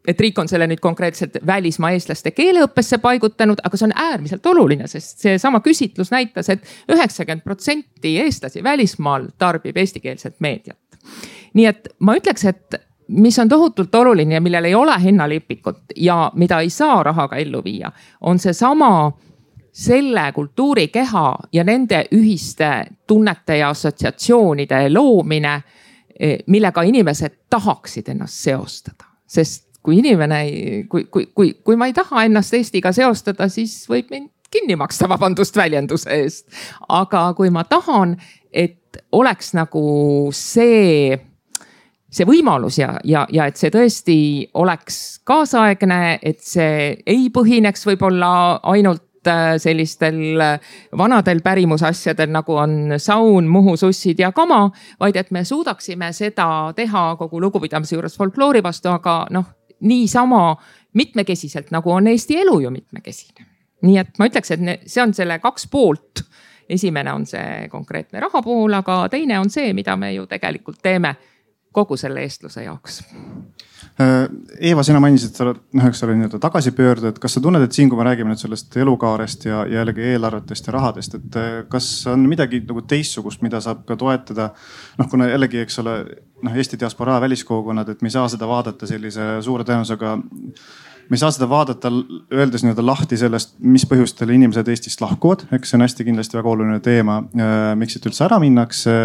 et riik on selle nüüd konkreetselt välismaa eestlaste keeleõppesse paigutanud, aga see on äärmiselt oluline, sest see sama küsitlus näitas, et üheksakümmend protsenti eestlasi välismaal tarbib eestikeelset meediat. Nii et ma ütleks, et mis on tohutult oluline ja millel ei ole hinnalipikut ja mida ei saa rahaga ellu viia, on see sama selle kultuurikeha ja nende ühiste tunnete ja assotsiatsioonide loomine, millega inimesed tahaksid ennast seostada, sest kui inimene, kui, kui, kui, kui ma ei taha ennast Eestiga seostada, siis võib mind kinni maksta, vabandust väljenduse eest. Aga kui ma tahan, et oleks nagu see, see võimalus ja, ja, ja et see tõesti oleks kaasaegne, et see ei põhineks võib-olla ainult sellistel vanadel pärimusasjadel, nagu on saun, Muhu, sussid ja kama, vaid et me suudaksime seda teha kogu lugupidamise juures folkloori vastu, aga noh, niisama mitmekesiselt, nagu on Eesti elu ju mitmekesine. Nii et ma ütleks, et see on selle kaks poolt. Esimene on see konkreetne raha pool, aga teine on see, mida me ju tegelikult teeme kogu selle eestluse jaoks. Eeva, sina mainisid, sa oled, noh, eks ole, nii-öelda tagasipöörde, et kas sa tunned, et siin, kui me räägime nüüd sellest elukaarest ja jällegi eelarvetest ja rahadest, et kas on midagi nagu teissugust, mida saab ka toetada? Noh, kuna jällegi, eks ole, noh, Eesti diasporaa väliskogukonnad, et me ei saa seda vaadata sellise suure tõenäosusega, me ei saa seda vaadata, öeldes nii-öelda lahti sellest, mis põhjustel inimesed Eestist lahkuvad. Eks see on hästi kindlasti väga oluline teema, miks siit üldse ära minnakse.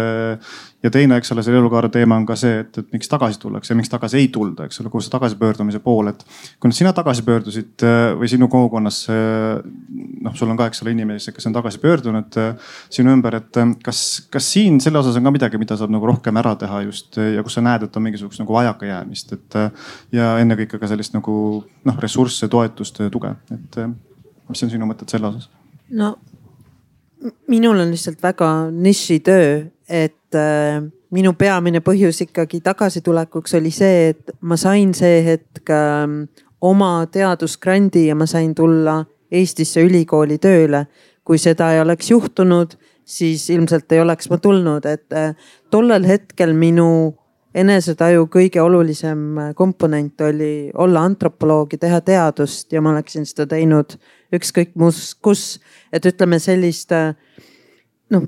Ja teine, eks ole, selle elukaare teema on ka see, et, et miks tagasi tullakse ja miks tagasi ei tulda, eks ole, kus see tagasipöördumise pool, et kui sina tagasi pöördusid või sinu kogukonnas, noh, sul on ka, eks ole, inimesi, kes on tagasi pöördunud sinu ümber, et kas, kas siin selle osas on ka midagi, mida saab nagu rohkem ära teha just ja kus sa näed, et on mingisugust nagu vajakajäämist, et ja ennekõike ka sellist nagu noh, ressursse, toetust, tuge, et mis on sinu mõtted selle osas? No minul on lihtsalt väga nišitöö, et äh, minu peamine põhjus ikkagi tagasitulekuks oli see, et ma sain see hetk äh, oma teadusgrandi ja ma sain tulla Eestisse ülikooli tööle. Kui seda ei oleks juhtunud, siis ilmselt ei oleks ma tulnud, et äh, tollel hetkel minu enesetaju kõige olulisem komponent oli olla antropoloog ja teha teadust ja ma oleksin seda teinud ükskõik muus, kus, et ütleme sellist, noh,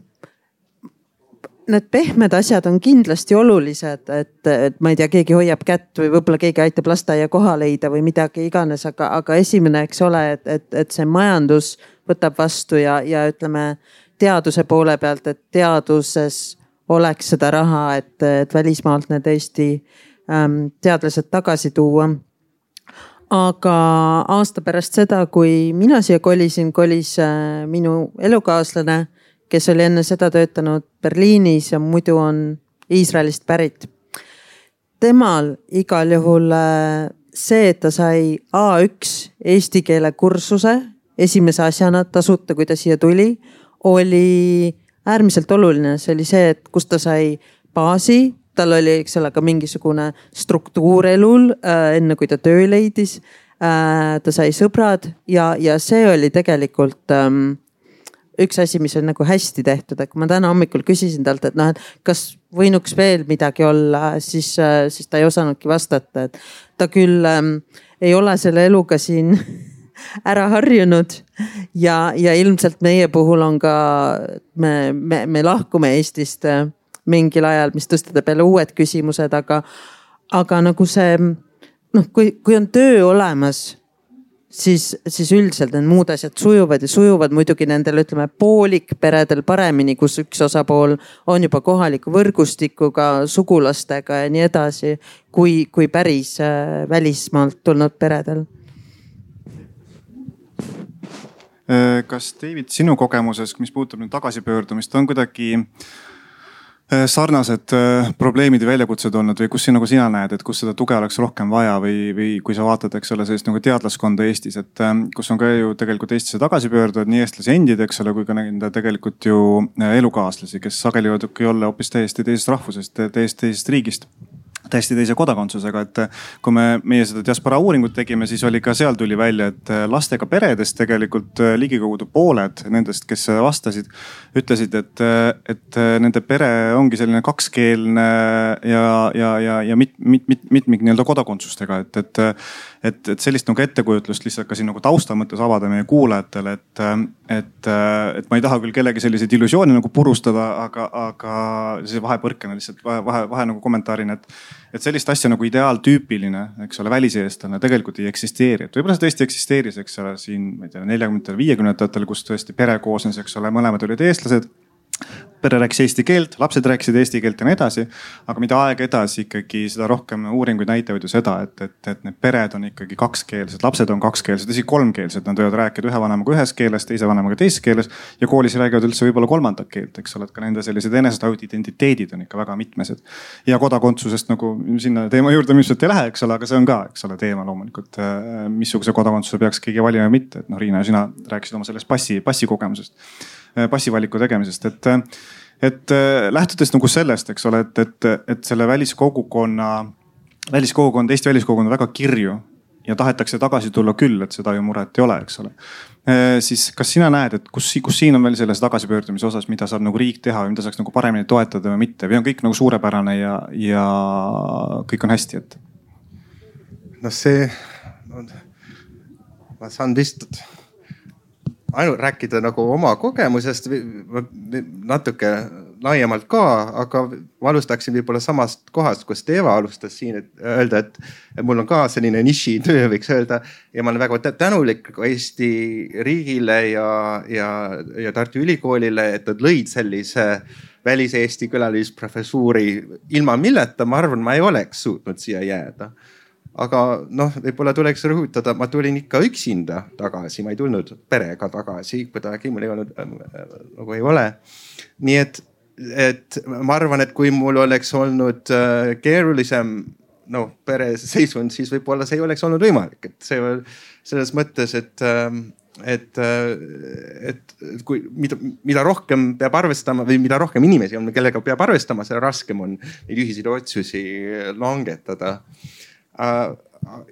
need pehmed asjad on kindlasti olulised, et, et ma ei tea, keegi hoiab kätt või võib-olla keegi aitab lasteaia koha leida või midagi iganes, aga, aga esimene, eks ole, et, et, et see majandus võtab vastu ja, ja ütleme teaduse poole pealt, et teaduses oleks seda raha, et, et välismaalt need Eesti ähm, teadlased tagasi tuua. aga aasta pärast seda, kui mina siia kolisin, kolis minu elukaaslane, kes oli enne seda töötanud Berliinis ja muidu on Iisraelist pärit. Temal igal juhul see, et ta sai A üks eesti keele kursuse esimese asjana tasuta, kui ta siia tuli, oli äärmiselt oluline. See oli see, et kus ta sai baasi, tal oli eks ole ka mingisugune struktuur elul enne kui ta töö leidis. Ta sai sõbrad ja, ja see oli tegelikult ähm, üks asi, mis on nagu hästi tehtud. Et kui ma täna hommikul küsisin talt, et noh, et kas võinuks veel midagi olla, siis, siis ta ei osanudki vastata. Et ta küll ähm, ei ole selle eluga siin ära harjunud ja, ja ilmselt meie puhul on ka, me, me, me lahkume Eestist mingil ajal, mis tõstab jälle uued küsimused, aga, aga nagu see, noh, kui, kui on töö olemas, siis, siis üldiselt need muud asjad sujuvad ja sujuvad muidugi nendel, ütleme, poolikperedel paremini, kus üks osapool on juba kohaliku võrgustikuga, sugulastega ja nii edasi, kui, kui päris välismaalt tulnud peredel. Kas David, sinu kogemuses, mis puudutab nüüd tagasipöördumist, on kuidagi sarnased probleemid ja väljakutsed olnud või kus nagu sina näed, et kus seda tuge oleks rohkem vaja või, või kui sa vaatad, eks ole, sellist nagu teadlaskonda Eestis, et kus on ka ju tegelikult Eestisse tagasipöörduvad nii eestlasi endid, eks ole, kui ka nende tegelikult ju elukaaslasi, kes sageli võidubki olla hoopis täiesti teisest rahvusest, täiesti teisest riigist, täiesti teise kodakondsusega, et kui me meie seda diaspora uuringut tegime, siis oli ka seal tuli välja, et lastega peredest tegelikult ligikaudu pooled nendest, kes vastasid, ütlesid, et, et nende pere ongi selline kakskeelne ja, ja, ja, ja mit, mit, mit, mitmik nii-öelda kodakondsustega, et, et, et, et sellist nagu ettekujutlust lihtsalt ka siin nagu tausta mõttes avada meie kuulajatele, et, et, et ma ei taha küll kellegi selliseid illusioone nagu purustada, aga, aga see vahepõrkena lihtsalt vahe, vahe, vahe nagu kommentaarina, et et sellist asja nagu ideaaltüüpiline, eks ole, väliseestlane tegelikult ei eksisteeri. Et võib-olla see tõesti eksisteeris, eks ole, siin, ma ei tea, neljakümnendatel, viiekümnendatel, kus tõesti pere koosnes, eks ole, mõlemad olid eestlased. Pere rääkis eesti keelt, lapsed rääkisid eesti keelt ja nii edasi. Aga mida aeg edasi ikkagi seda rohkem uuringuid näitavad ju seda, et, et, et need pered on ikkagi kakskeelsed, lapsed on kakskeelsed, isegi kolmkeelsed. Nad võivad rääkida ühe vanemaga ühes keeles, teise vanemaga teises keeles ja koolis räägivad üldse võib-olla kolmandat keelt, eks ole, et ka nende sellised enesetajud identiteedid on ikka väga mitmesed. Ja kodakondsusest nagu sinna teema juurde ilmselt ei lähe, eks ole, aga see on ka, eks ole, teema loomulikult, missuguse kodakondsuse peaks keegi valima või mitte. Et noh, Riina ja sina rääkisid oma sellest passi, passi kogemusest. Passivaliku tegemisest, et, et lähtudes nagu sellest, eks ole, et, et, et selle väliskogukonna, väliskogukond, Eesti väliskogukond on väga kirju ja tahetakse tagasi tulla küll, et seda ju muret ei ole, eks ole. Siis kas sina näed, et kus, kus siin on veel selles tagasipöördumise osas, mida saab nagu riik teha või mida saaks nagu paremini toetada või mitte või on kõik nagu suurepärane ja, ja kõik on hästi, et? No see, no, ma saan vist ainult rääkida nagu oma kogemusest natuke laiemalt ka, aga ma alustaksin võib-olla samast kohast, kus Eva alustas siin, et öelda, et mul on ka selline nišitöö, võiks öelda. Ja ma olen väga tänulik Eesti riigile ja, ja, ja Tartu Ülikoolile, et nad lõid sellise välis-Eesti külalisprofessuuri. Ilma milleta, ma arvan, ma ei oleks suutnud siia jääda. Aga noh, võib-olla tuleks rõhutada, ma tulin ikka üksinda tagasi, ma ei tulnud perega tagasi, kuidagi mul ei olnud, nagu ei ole. Nii et, et ma arvan, et kui mul oleks olnud keerulisem no, pere seisund, siis võib-olla see ei oleks olnud võimalik. Et see selles mõttes, et, et, et kui, mida, mida rohkem peab arvestama või mida rohkem inimesi on, kellega peab arvestama, see raskem on neid ühiseid otsusi langetada.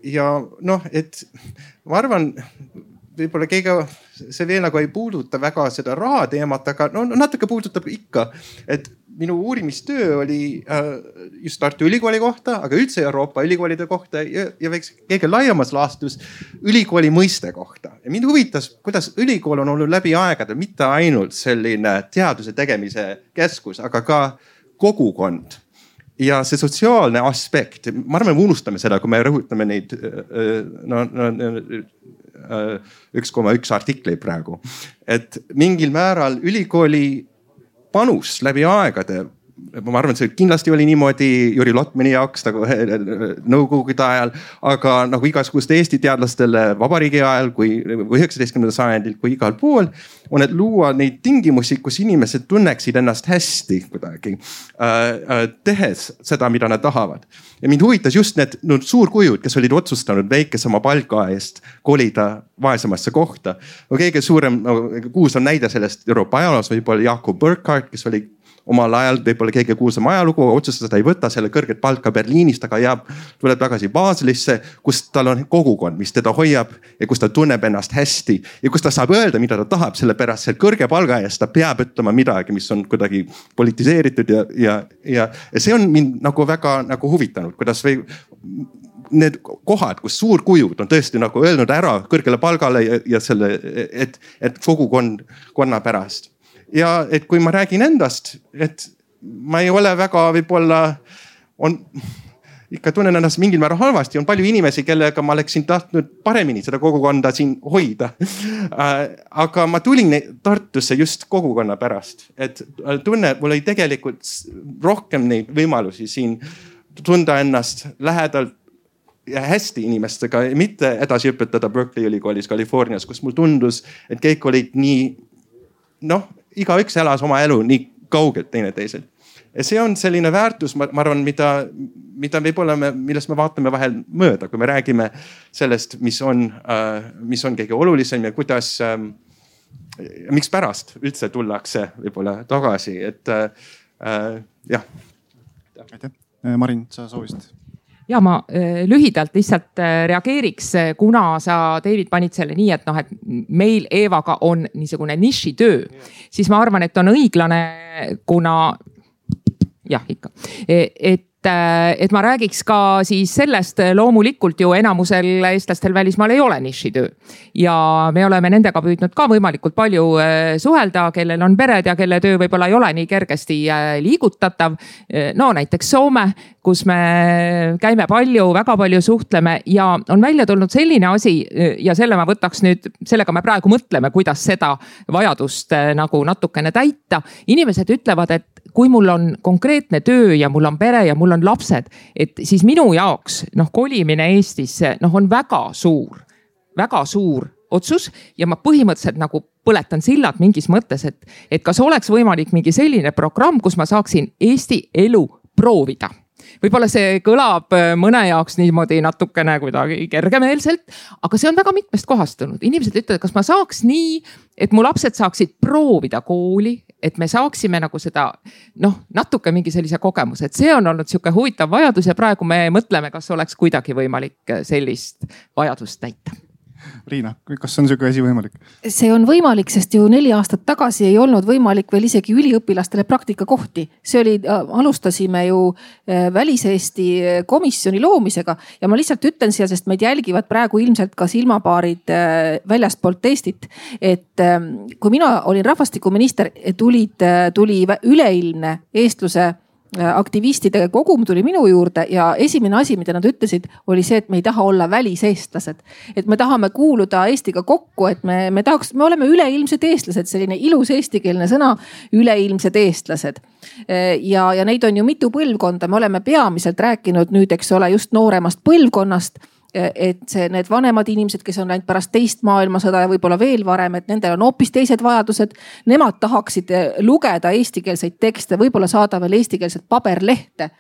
Ja noh, et ma arvan, võib-olla keegi see veel nagu ei puuduta väga seda raha teemat, aga no natuke puudutab ikka, et minu uurimistöö oli just Tartu Ülikooli kohta, aga üldse Euroopa ülikoolide kohta ja, ja võiks keegi laiemas laastus ülikooli mõiste kohta. Ja mind huvitas, kuidas ülikool on olnud läbi aegade, mitte ainult selline teaduse tegemise keskus, aga ka kogukond. Ja see sotsiaalne aspekt, ma arvan, me unustame seda, kui me rõhutame neid no, no, üks koma üks artikleid praegu. Et mingil määral ülikooli panus läbi aegade ma arvan, et see kindlasti oli niimoodi Jüri Lotmani jaoks nagu nõukogude ajal, aga nagu igasuguste Eesti teadlastele vabariigi ajal kui üheksateistkümnendal sajandil kui igal pool on, et luua neid tingimusi, kus inimesed tunneksid ennast hästi kuidagi äh, tehes seda, mida nad tahavad. Ja mind huvitas just need no, suurkujud, kes olid otsustanud väikesema palga eest kolida vaesemasse kohta. No, kõige suurem no, kuulsam näide sellest Euroopa ajaloos võib-olla Jakob Burckhardt, kes oli omal ajal võib-olla kõige kuulsam ajalugu, otsustas, ta ei võta selle kõrget palka Berliinist, aga jääb, tuleb tagasi Baselisse, kus tal on kogukond, mis teda hoiab ja kus ta tunneb ennast hästi ja kus ta saab öelda, mida ta tahab, sellepärast selle kõrge palga eest ta peab ütlema midagi, mis on kuidagi politiseeritud ja, ja, ja, ja see on mind nagu väga nagu huvitanud, kuidas või need kohad, kus suurkujud on tõesti nagu öelnud ära kõrgele palgale ja, ja selle, et, et kogukond, konna pärast. Ja et kui ma räägin endast, et ma ei ole väga võib-olla, on ikka tunnen ennast mingil määral halvasti, on palju inimesi, kellega ma oleksin tahtnud paremini seda kogukonda siin hoida. Aga ma tulin Tartusse just kogukonna pärast, et tunne, mul oli tegelikult rohkem neid võimalusi siin tunda ennast lähedalt ja hästi inimestega, mitte edasi õpetada Berkeley ülikoolis Californias, kus mul tundus, et kõik olid nii, noh, igaüks elas oma elu nii kaugelt teineteiselt. Ja see on selline väärtus, ma arvan, mida, mida võib-olla me, millest me vaatame vahel mööda, kui me räägime sellest, mis on, mis on kõige olulisem ja kuidas, miks pärast üldse tullakse võib-olla tagasi, et äh, jah. Aitäh. Marin, sa soovisid? Ja ma lühidalt lihtsalt reageeriks, kuna sa, David, panid selle nii, et noh, et meil Eevaga on niisugune nišitöö, siis ma arvan, et on õiglane, kuna jah, ikka, et et ma räägiks ka siis sellest, loomulikult ju enamusel eestlastel välismaal ei ole nišitöö ja me oleme nendega püüdnud ka võimalikult palju suhelda, kellel on pered ja kelle töö võib-olla ei ole nii kergesti liigutatav. No näiteks Soome, kus me käime palju, väga palju suhtleme ja on välja tulnud selline asi ja selle ma võtaks nüüd, sellega me praegu mõtleme, kuidas seda vajadust nagu natukene täita. Inimesed ütlevad, et kui mul on konkreetne töö ja mul on pere ja mul on lapsed, et siis minu jaoks noh, kolimine Eestisse noh, on väga suur, väga suur otsus ja ma põhimõtteliselt nagu põletan sillad mingis mõttes, et, et kas oleks võimalik mingi selline programm, kus ma saaksin Eesti elu proovida. Võib-olla see kõlab mõne jaoks niimoodi natukene kuidagi kergemeelselt, aga see on väga mitmest kohastunud. Inimesed ütlevad, kas ma saaks nii, et mu lapsed saaksid proovida kooli, et me saaksime nagu seda noh, natuke mingi sellise kogemuse, et see on olnud sihuke huvitav vajadus ja praegu me mõtleme, kas oleks kuidagi võimalik sellist vajadust täita. Riina, kas on sihuke asi võimalik? See on võimalik, sest ju neli aastat tagasi ei olnud võimalik veel isegi üliõpilastele praktikakohti. See oli, alustasime ju Välis-Eesti komisjoni loomisega ja ma lihtsalt ütlen siia, sest meid jälgivad praegu ilmselt ka silmapaarid väljastpoolt Eestit. Et kui mina olin rahvastikuminister, tulid, tuli üleilmne eestluse aktivistide kogum tuli minu juurde ja esimene asi, mida nad ütlesid, oli see, et me ei taha olla väliseestlased. Et me tahame kuuluda Eestiga kokku, et me, me tahaks, me oleme üleilmsed eestlased, selline ilus eestikeelne sõna, üleilmsed eestlased. Ja, ja neid on ju mitu põlvkonda, me oleme peamiselt rääkinud nüüd, eks ole, just nooremast põlvkonnast. Et see, need vanemad inimesed, kes on läinud pärast teist maailmasõda ja võib-olla veel varem, et nendel on hoopis teised vajadused. Nemad tahaksid lugeda eestikeelseid tekste, võib-olla saada veel eestikeelset paberlehte.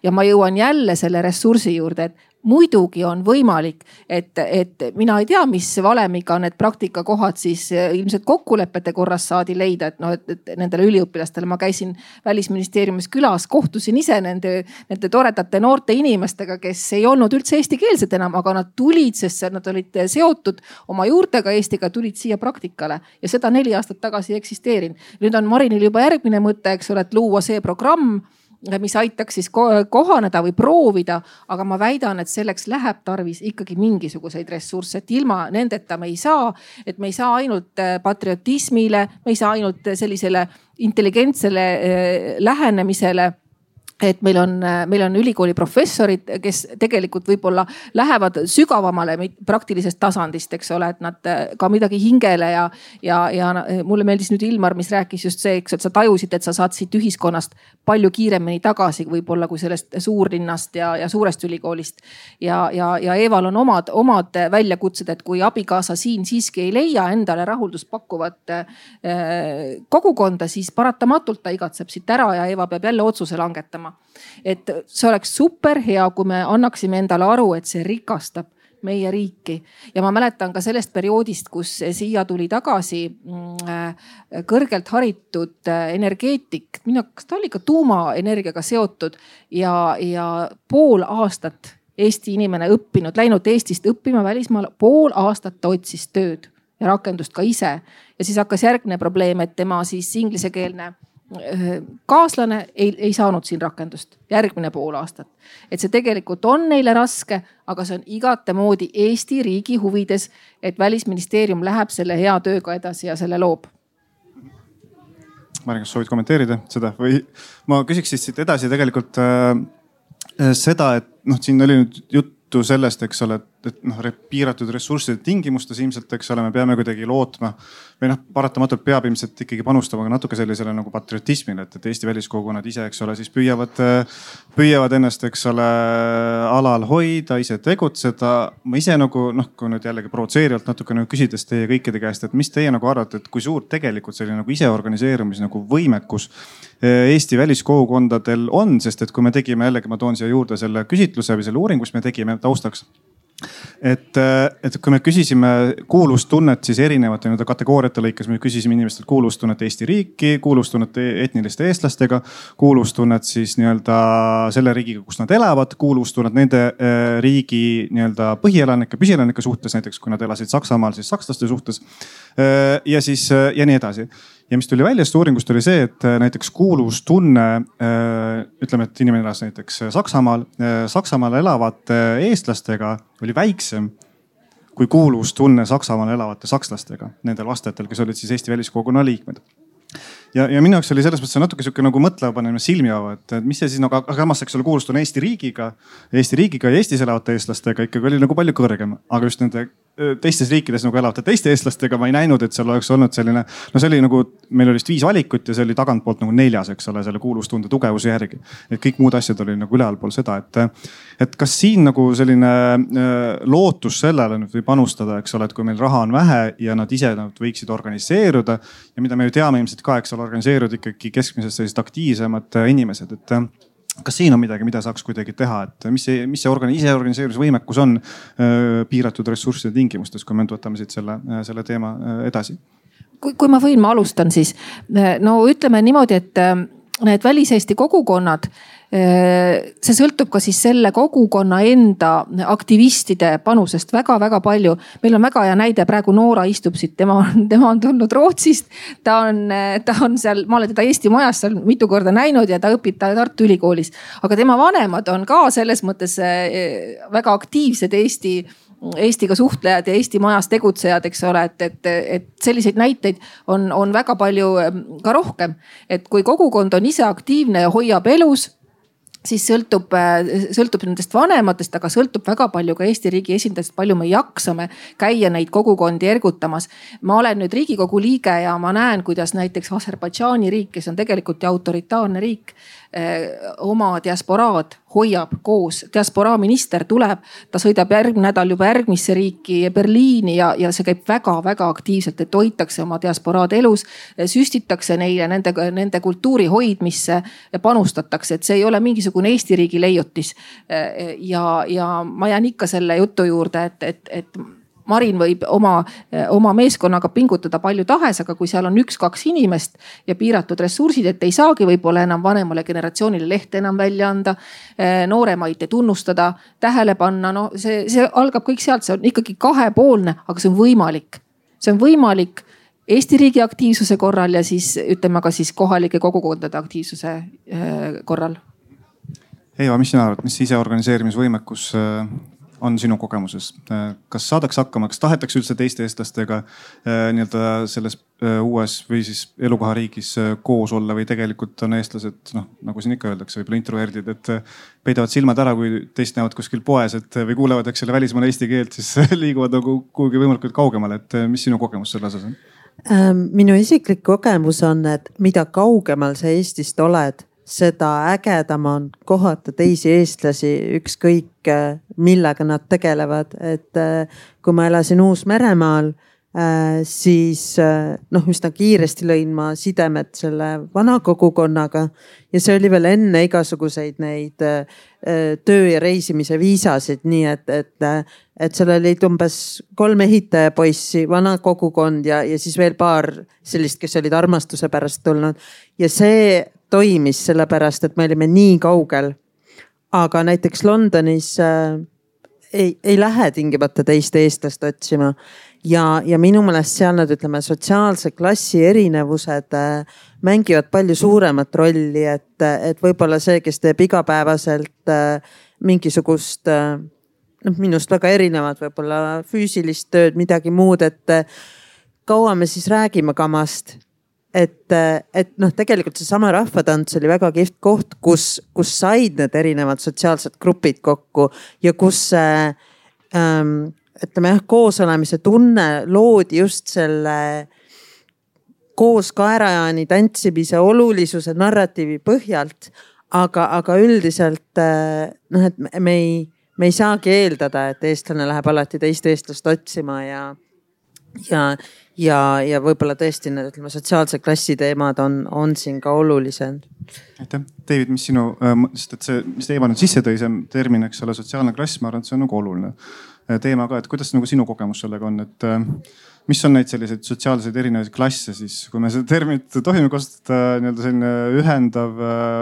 Ja ma jõuan jälle selle ressursi juurde, et muidugi on võimalik, et, et mina ei tea, mis valemiga need praktikakohad siis ilmselt kokkulepete korras saadi leida, et noh, et, et nendele üliõpilastele ma käisin Välisministeeriumis külas, kohtusin ise nende, nende toredate noorte inimestega, kes ei olnud üldse eestikeelsed enam, aga nad tulid, sest nad olid seotud oma juurtega Eestiga, tulid siia praktikale ja seda neli aastat tagasi eksisteerin. Nüüd on Marinil juba järgmine mõte, eks ole, et luua see programm, mis aitaks siis kohaneda või proovida, aga ma väidan, et selleks läheb tarvis ikkagi mingisuguseid ressursse, et ilma nendeta me ei saa, et me ei saa ainult patriotismile, me ei saa ainult sellisele intelligentsele lähenemisele et meil on, meil on ülikooli professorid, kes tegelikult võib-olla lähevad sügavamale praktilisest tasandist, eks ole, et nad ka midagi hingele ja, ja, ja mulle meeldis nüüd Ilmar, mis rääkis just see, eks, et sa tajusid, et sa saad siit ühiskonnast palju kiiremini tagasi võib-olla kui sellest suurlinnast ja, ja suurest ülikoolist. Ja, ja, ja Eeval on omad, omad väljakutsed, et kui abikaasa siin siiski ei leia endale rahuldust pakkuvat kogukonda, siis paratamatult ta igatseb siit ära ja Eeva peab jälle otsuse langetama. Et see oleks super hea, kui me annaksime endale aru, et see rikastab meie riiki. Ja ma mäletan ka sellest perioodist, kus siia tuli tagasi kõrgelt haritud energeetik. Mina, kas ta oli ka tuumaenergiaga seotud ja, ja pool aastat Eesti inimene õppinud, läinud Eestist õppima välismaal, pool aastat ta otsis tööd ja rakendust ka ise. Ja siis hakkas järgne probleem, et tema siis inglisekeelne kaaslane ei, ei saanud siin rakendust järgmine pool aastat. Et see tegelikult on neile raske, aga see on igatemoodi Eesti riigi huvides, et Välisministeerium läheb selle hea tööga edasi ja selle loob. Mari, kas soovid kommenteerida seda või ma küsiks siis siit edasi tegelikult äh, seda, et noh, siin oli nüüd juttu sellest, eks ole, et noh, piiratud ressursside tingimustes ilmselt, eks ole, me peame kuidagi lootma või noh, paratamatult peab ilmselt ikkagi panustama natuke sellisele nagu patriotismile, et, et Eesti väliskogukonnad ise, eks ole, siis püüavad, püüavad ennast, eks ole, alal hoida, ise tegutseda. Ma ise nagu noh, kui nüüd jällegi provotseerivalt natuke nagu küsides teie kõikide käest, et mis teie nagu arvate, et kui suur tegelikult selline nagu ise organiseerumis nagu võimekus Eesti väliskogukondadel on, sest et kui me tegime jällegi, ma toon siia juurde selle küsitluse või selle uuringu, mis me tegime taustaks. Et, et kui me küsisime kuulustunnet siis erinevate nii-öelda kategooriate lõikes, me küsisime inimestelt kuulustunnet Eesti riiki, kuulustunnet etniliste eestlastega, kuulustunnet siis nii-öelda selle riigiga, kus nad elavad, kuulustunnet nende riigi nii-öelda põhielanike, püsielanike suhtes, näiteks kui nad elasid Saksamaal, siis sakslaste suhtes ja siis ja nii edasi. Ja mis tuli välja sellest uuringust oli see, et näiteks kuulustunne, ütleme, et inimene elas näiteks Saksamaal, Saksamaal elavate eestlastega oli väiksem kui kuulustunne Saksamaal elavate sakslastega, nendel vastajatel, kes olid siis Eesti väliskogukonna liikmed. Ja, ja minu jaoks oli selles mõttes natuke sihuke nagu mõtleva panemine silmi ava, et mis see siis nagu, aga samas eks ole kuulustunne Eesti riigiga, Eesti riigiga ja Eestis elavate eestlastega ikkagi oli nagu palju kõrgem, aga just nende teistes riikides nagu elavate teiste eestlastega ma ei näinud, et seal oleks olnud selline, no see oli nagu, meil oli vist viis valikut ja see oli tagantpoolt nagu neljas, eks ole, selle kuulustunde tugevuse järgi. Et kõik muud asjad oli nagu ülealpool seda, et, et kas siin nagu selline lootus sellele nüüd või panustada, eks ole, et kui meil raha on vähe ja nad ise nad võiksid organiseeruda ja mida me ju teame ilmselt ka, eks ole, organiseeruda ikkagi keskmisest sellised aktiivsemad inimesed, et kas siin on midagi, mida saaks kuidagi teha, et mis see, mis see organi, ise organiseerimisvõimekus on öö, piiratud ressursside tingimustes, kui me võtame siit selle, selle teema edasi? Kui, kui ma võin, ma alustan siis. No ütleme niimoodi, et need väliseesti kogukonnad, see sõltub ka siis selle kogukonna enda aktivistide panusest väga-väga palju. Meil on väga hea näide, praegu Noora istub siit, tema on, tema on tulnud Rootsist. Ta on, ta on seal, ma olen teda Eesti majas seal mitu korda näinud ja ta õpib ta Tartu Ülikoolis. Aga tema vanemad on ka selles mõttes väga aktiivsed Eesti Eestiga suhtlejad ja Eesti majas tegutsejad, eks ole, et, et, et selliseid näiteid on, on väga palju ka rohkem. Et kui kogukond on ise aktiivne ja hoiab elus, siis sõltub, sõltub nendest vanematest, aga sõltub väga palju ka Eesti riigi esindajast, palju me jaksame käia neid kogukondi ergutamas. Ma olen nüüd Riigikogu liige ja ma näen, kuidas näiteks Aserbaidžaani riik, kes on tegelikult autoritaarne riik, oma diasporaad hoiab koos. Diasporaa minister tuleb, ta sõidab järgmine nädal juba järgmisse riiki Berliini ja, ja see käib väga-väga aktiivselt, et hoitakse oma diasporaad elus, süstitakse neile nende, nende kultuuri hoidmisse ja panustatakse, et see ei ole mingisugune Eesti riigi leiutis. Ja, ja ma jään ikka selle jutu juurde, et, et, et Marin võib oma, oma meeskonnaga pingutada palju tahes, aga kui seal on üks-kaks inimest ja piiratud ressursid, et ei saagi võib-olla enam vanemale generatsioonile lehte enam välja anda, nooremaid tunnustada, tähele panna, no see, see algab kõik sealt, see on ikkagi kahepoolne, aga see on võimalik. See on võimalik Eesti riigi aktiivsuse korral ja siis ütleme ka siis kohalike kogukondade aktiivsuse korral. Eeva, mis sina arvad, mis ise organiseerimisvõimekus on sinu kogemuses? Kas saadaks hakkama, kas tahetakse üldse teiste eestlastega nii-öelda selles uues või siis elukohariigis koos olla või tegelikult on eestlased, noh nagu siin ikka öeldakse, võib-olla introverdid, et peidavad silmad ära, kui teist näevad kuskil poes, et või kuulevad, eks selle välismaal eesti keelt, siis liiguvad nagu kuhugi võimalikult kaugemale. Et mis sinu kogemus selle osas on? Minu isiklik kogemus on, et mida kaugemal sa Eestist oled, seda ägedam on kohata teisi eestlasi, ükskõik millega nad tegelevad. Et kui ma elasin Uus-Meremaal, siis noh, üsna kiiresti lõin ma sidemed selle vana kogukonnaga ja see oli veel enne igasuguseid neid töö ja reisimise viisasid. Nii et, et, et seal olid umbes kolm ehitajapoissi, vana kogukond ja, ja siis veel paar sellist, kes olid armastuse pärast tulnud. Ja see toimis sellepärast, et me olime nii kaugel. Aga näiteks Londonis äh, ei, ei lähe tingimata teist eestlast otsima. Ja, ja minu meelest seal nad, ütleme, sotsiaalse klassi erinevused äh, mängivad palju suuremat rolli, et, et võib-olla see, kes teeb igapäevaselt äh, mingisugust, äh, noh, minust väga erinevad, võib-olla füüsilist tööd, midagi muud, et äh, kaua me siis räägime kamast. Et, et noh, tegelikult see sama rahvatants oli väga kihvt koht, kus, kus said need erinevad sotsiaalsed grupid kokku ja kus äh, ähm, ütleme jah, koosolemise tunne loodi just selle koos kaerajaani tantsimise olulisuse narratiivi põhjalt. Aga, aga üldiselt noh, et me ei, me ei saagi eeldada, et eestlane läheb alati teist eestlast otsima ja, ja, ja, ja võib-olla tõesti need, ütleme, sotsiaalse klassi teemad on, on siin ka olulised. Aitäh. David, mis sinu, sest et see, mis Eeva nüüd sisse tõi, see termin, eks ole, sotsiaalne klass, ma arvan, et see on nagu oluline teema ka, et kuidas nagu sinu kogemus sellega on, et mis on neid selliseid sotsiaalseid erinevaid klasse siis, kui me seda terminit tohime kasutada, nii-öelda selline ühendav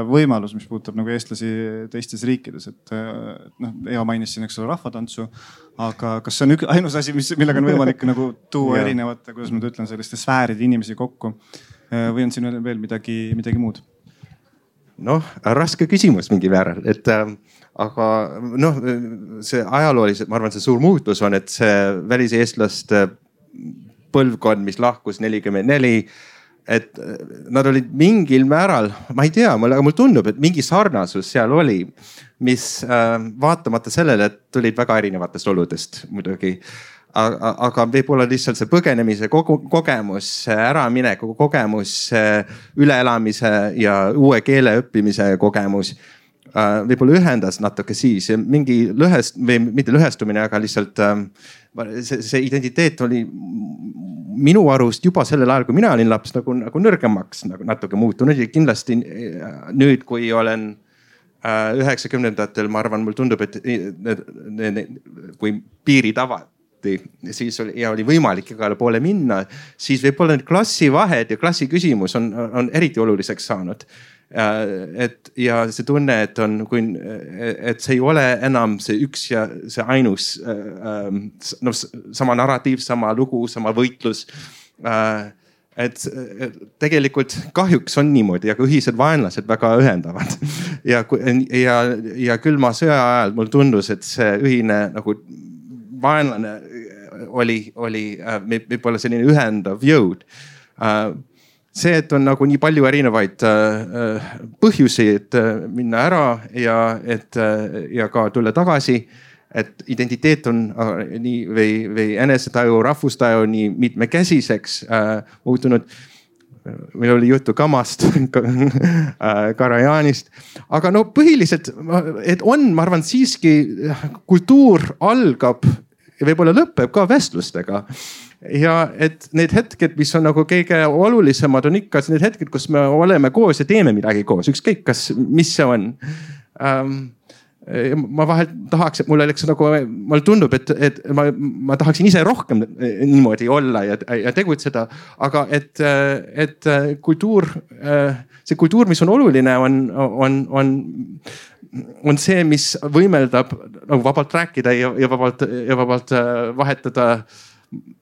võimalus, mis puudutab nagu eestlasi teistes riikides, et noh, Eva mainis siin, eks ole, rahvatantsu, aga kas see on ük, ainus asi, mis, millega on võimalik nagu tuua erinevate, kuidas ma ütlen, selliste sfääride inimesi kokku või on siin veel midagi, midagi muud? Noh, raske küsimus mingi määral, et äh, aga noh, see ajalooliselt, ma arvan, see suur muutus on, et see väliseestlaste põlvkond, mis lahkus nelikümmend neli, et nad olid mingil määral, ma ei tea, aga mul tundub, et mingi sarnasus seal oli, mis äh, vaatamata sellele, et tulid väga erinevatest oludest muidugi. Aga, aga võib-olla lihtsalt see põgenemise kogemus, äramineku kogemus, üleelamise ja uue keele õppimise kogemus võib-olla ühendas natuke siis mingi lõhest või mitte lõhestumine, aga lihtsalt see, see identiteet oli minu arust juba sellel ajal, kui mina olin laps, nagu, nagu nõrgemaks nagu natuke muutunud ja kindlasti nüüd, kui olen üheksakümnendatel, ma arvan, mul tundub, et need, need, kui piirid avad, siis oli, ja oli võimalik igale poole minna, siis võib-olla need klassivahed ja klassi küsimus on, on eriti oluliseks saanud. Et ja see tunne, et on, kui, et see ei ole enam see üks ja see ainus, no, sama narratiiv, sama lugu, sama võitlus. Et tegelikult kahjuks on niimoodi, aga ühised vaenlased väga ühendavad. Ja, ja, ja külma sõja ajal mul tundus, et see ühine nagu vaenlane oli, oli võib-olla selline ühendav jõud. See, et on nagu nii palju erinevaid põhjusi, et minna ära ja, et, ja ka tulla tagasi, et identiteet on nii või, või enesetaju, rahvustaju nii mitmekesiseks muutunud. Meil oli juttu Kamast, Karajanist, aga no põhiliselt, et on, ma arvan, siiski kultuur algab ja võib-olla lõpeb ka vestlustega. Ja et need hetked, mis on nagu kõige olulisemad, on ikka need hetked, kus me oleme koos ja teeme midagi koos, ükskõik kas, mis see on. Ähm, ma vahel tahaks, et mul oleks nagu, mulle tundub, et, et ma, ma tahaksin ise rohkem niimoodi olla ja, ja tegutseda, aga et, et kultuur, see kultuur, mis on oluline, on, on, on, on see, mis võimeldab nagu vabalt rääkida ja, ja vabalt, ja vabalt vahetada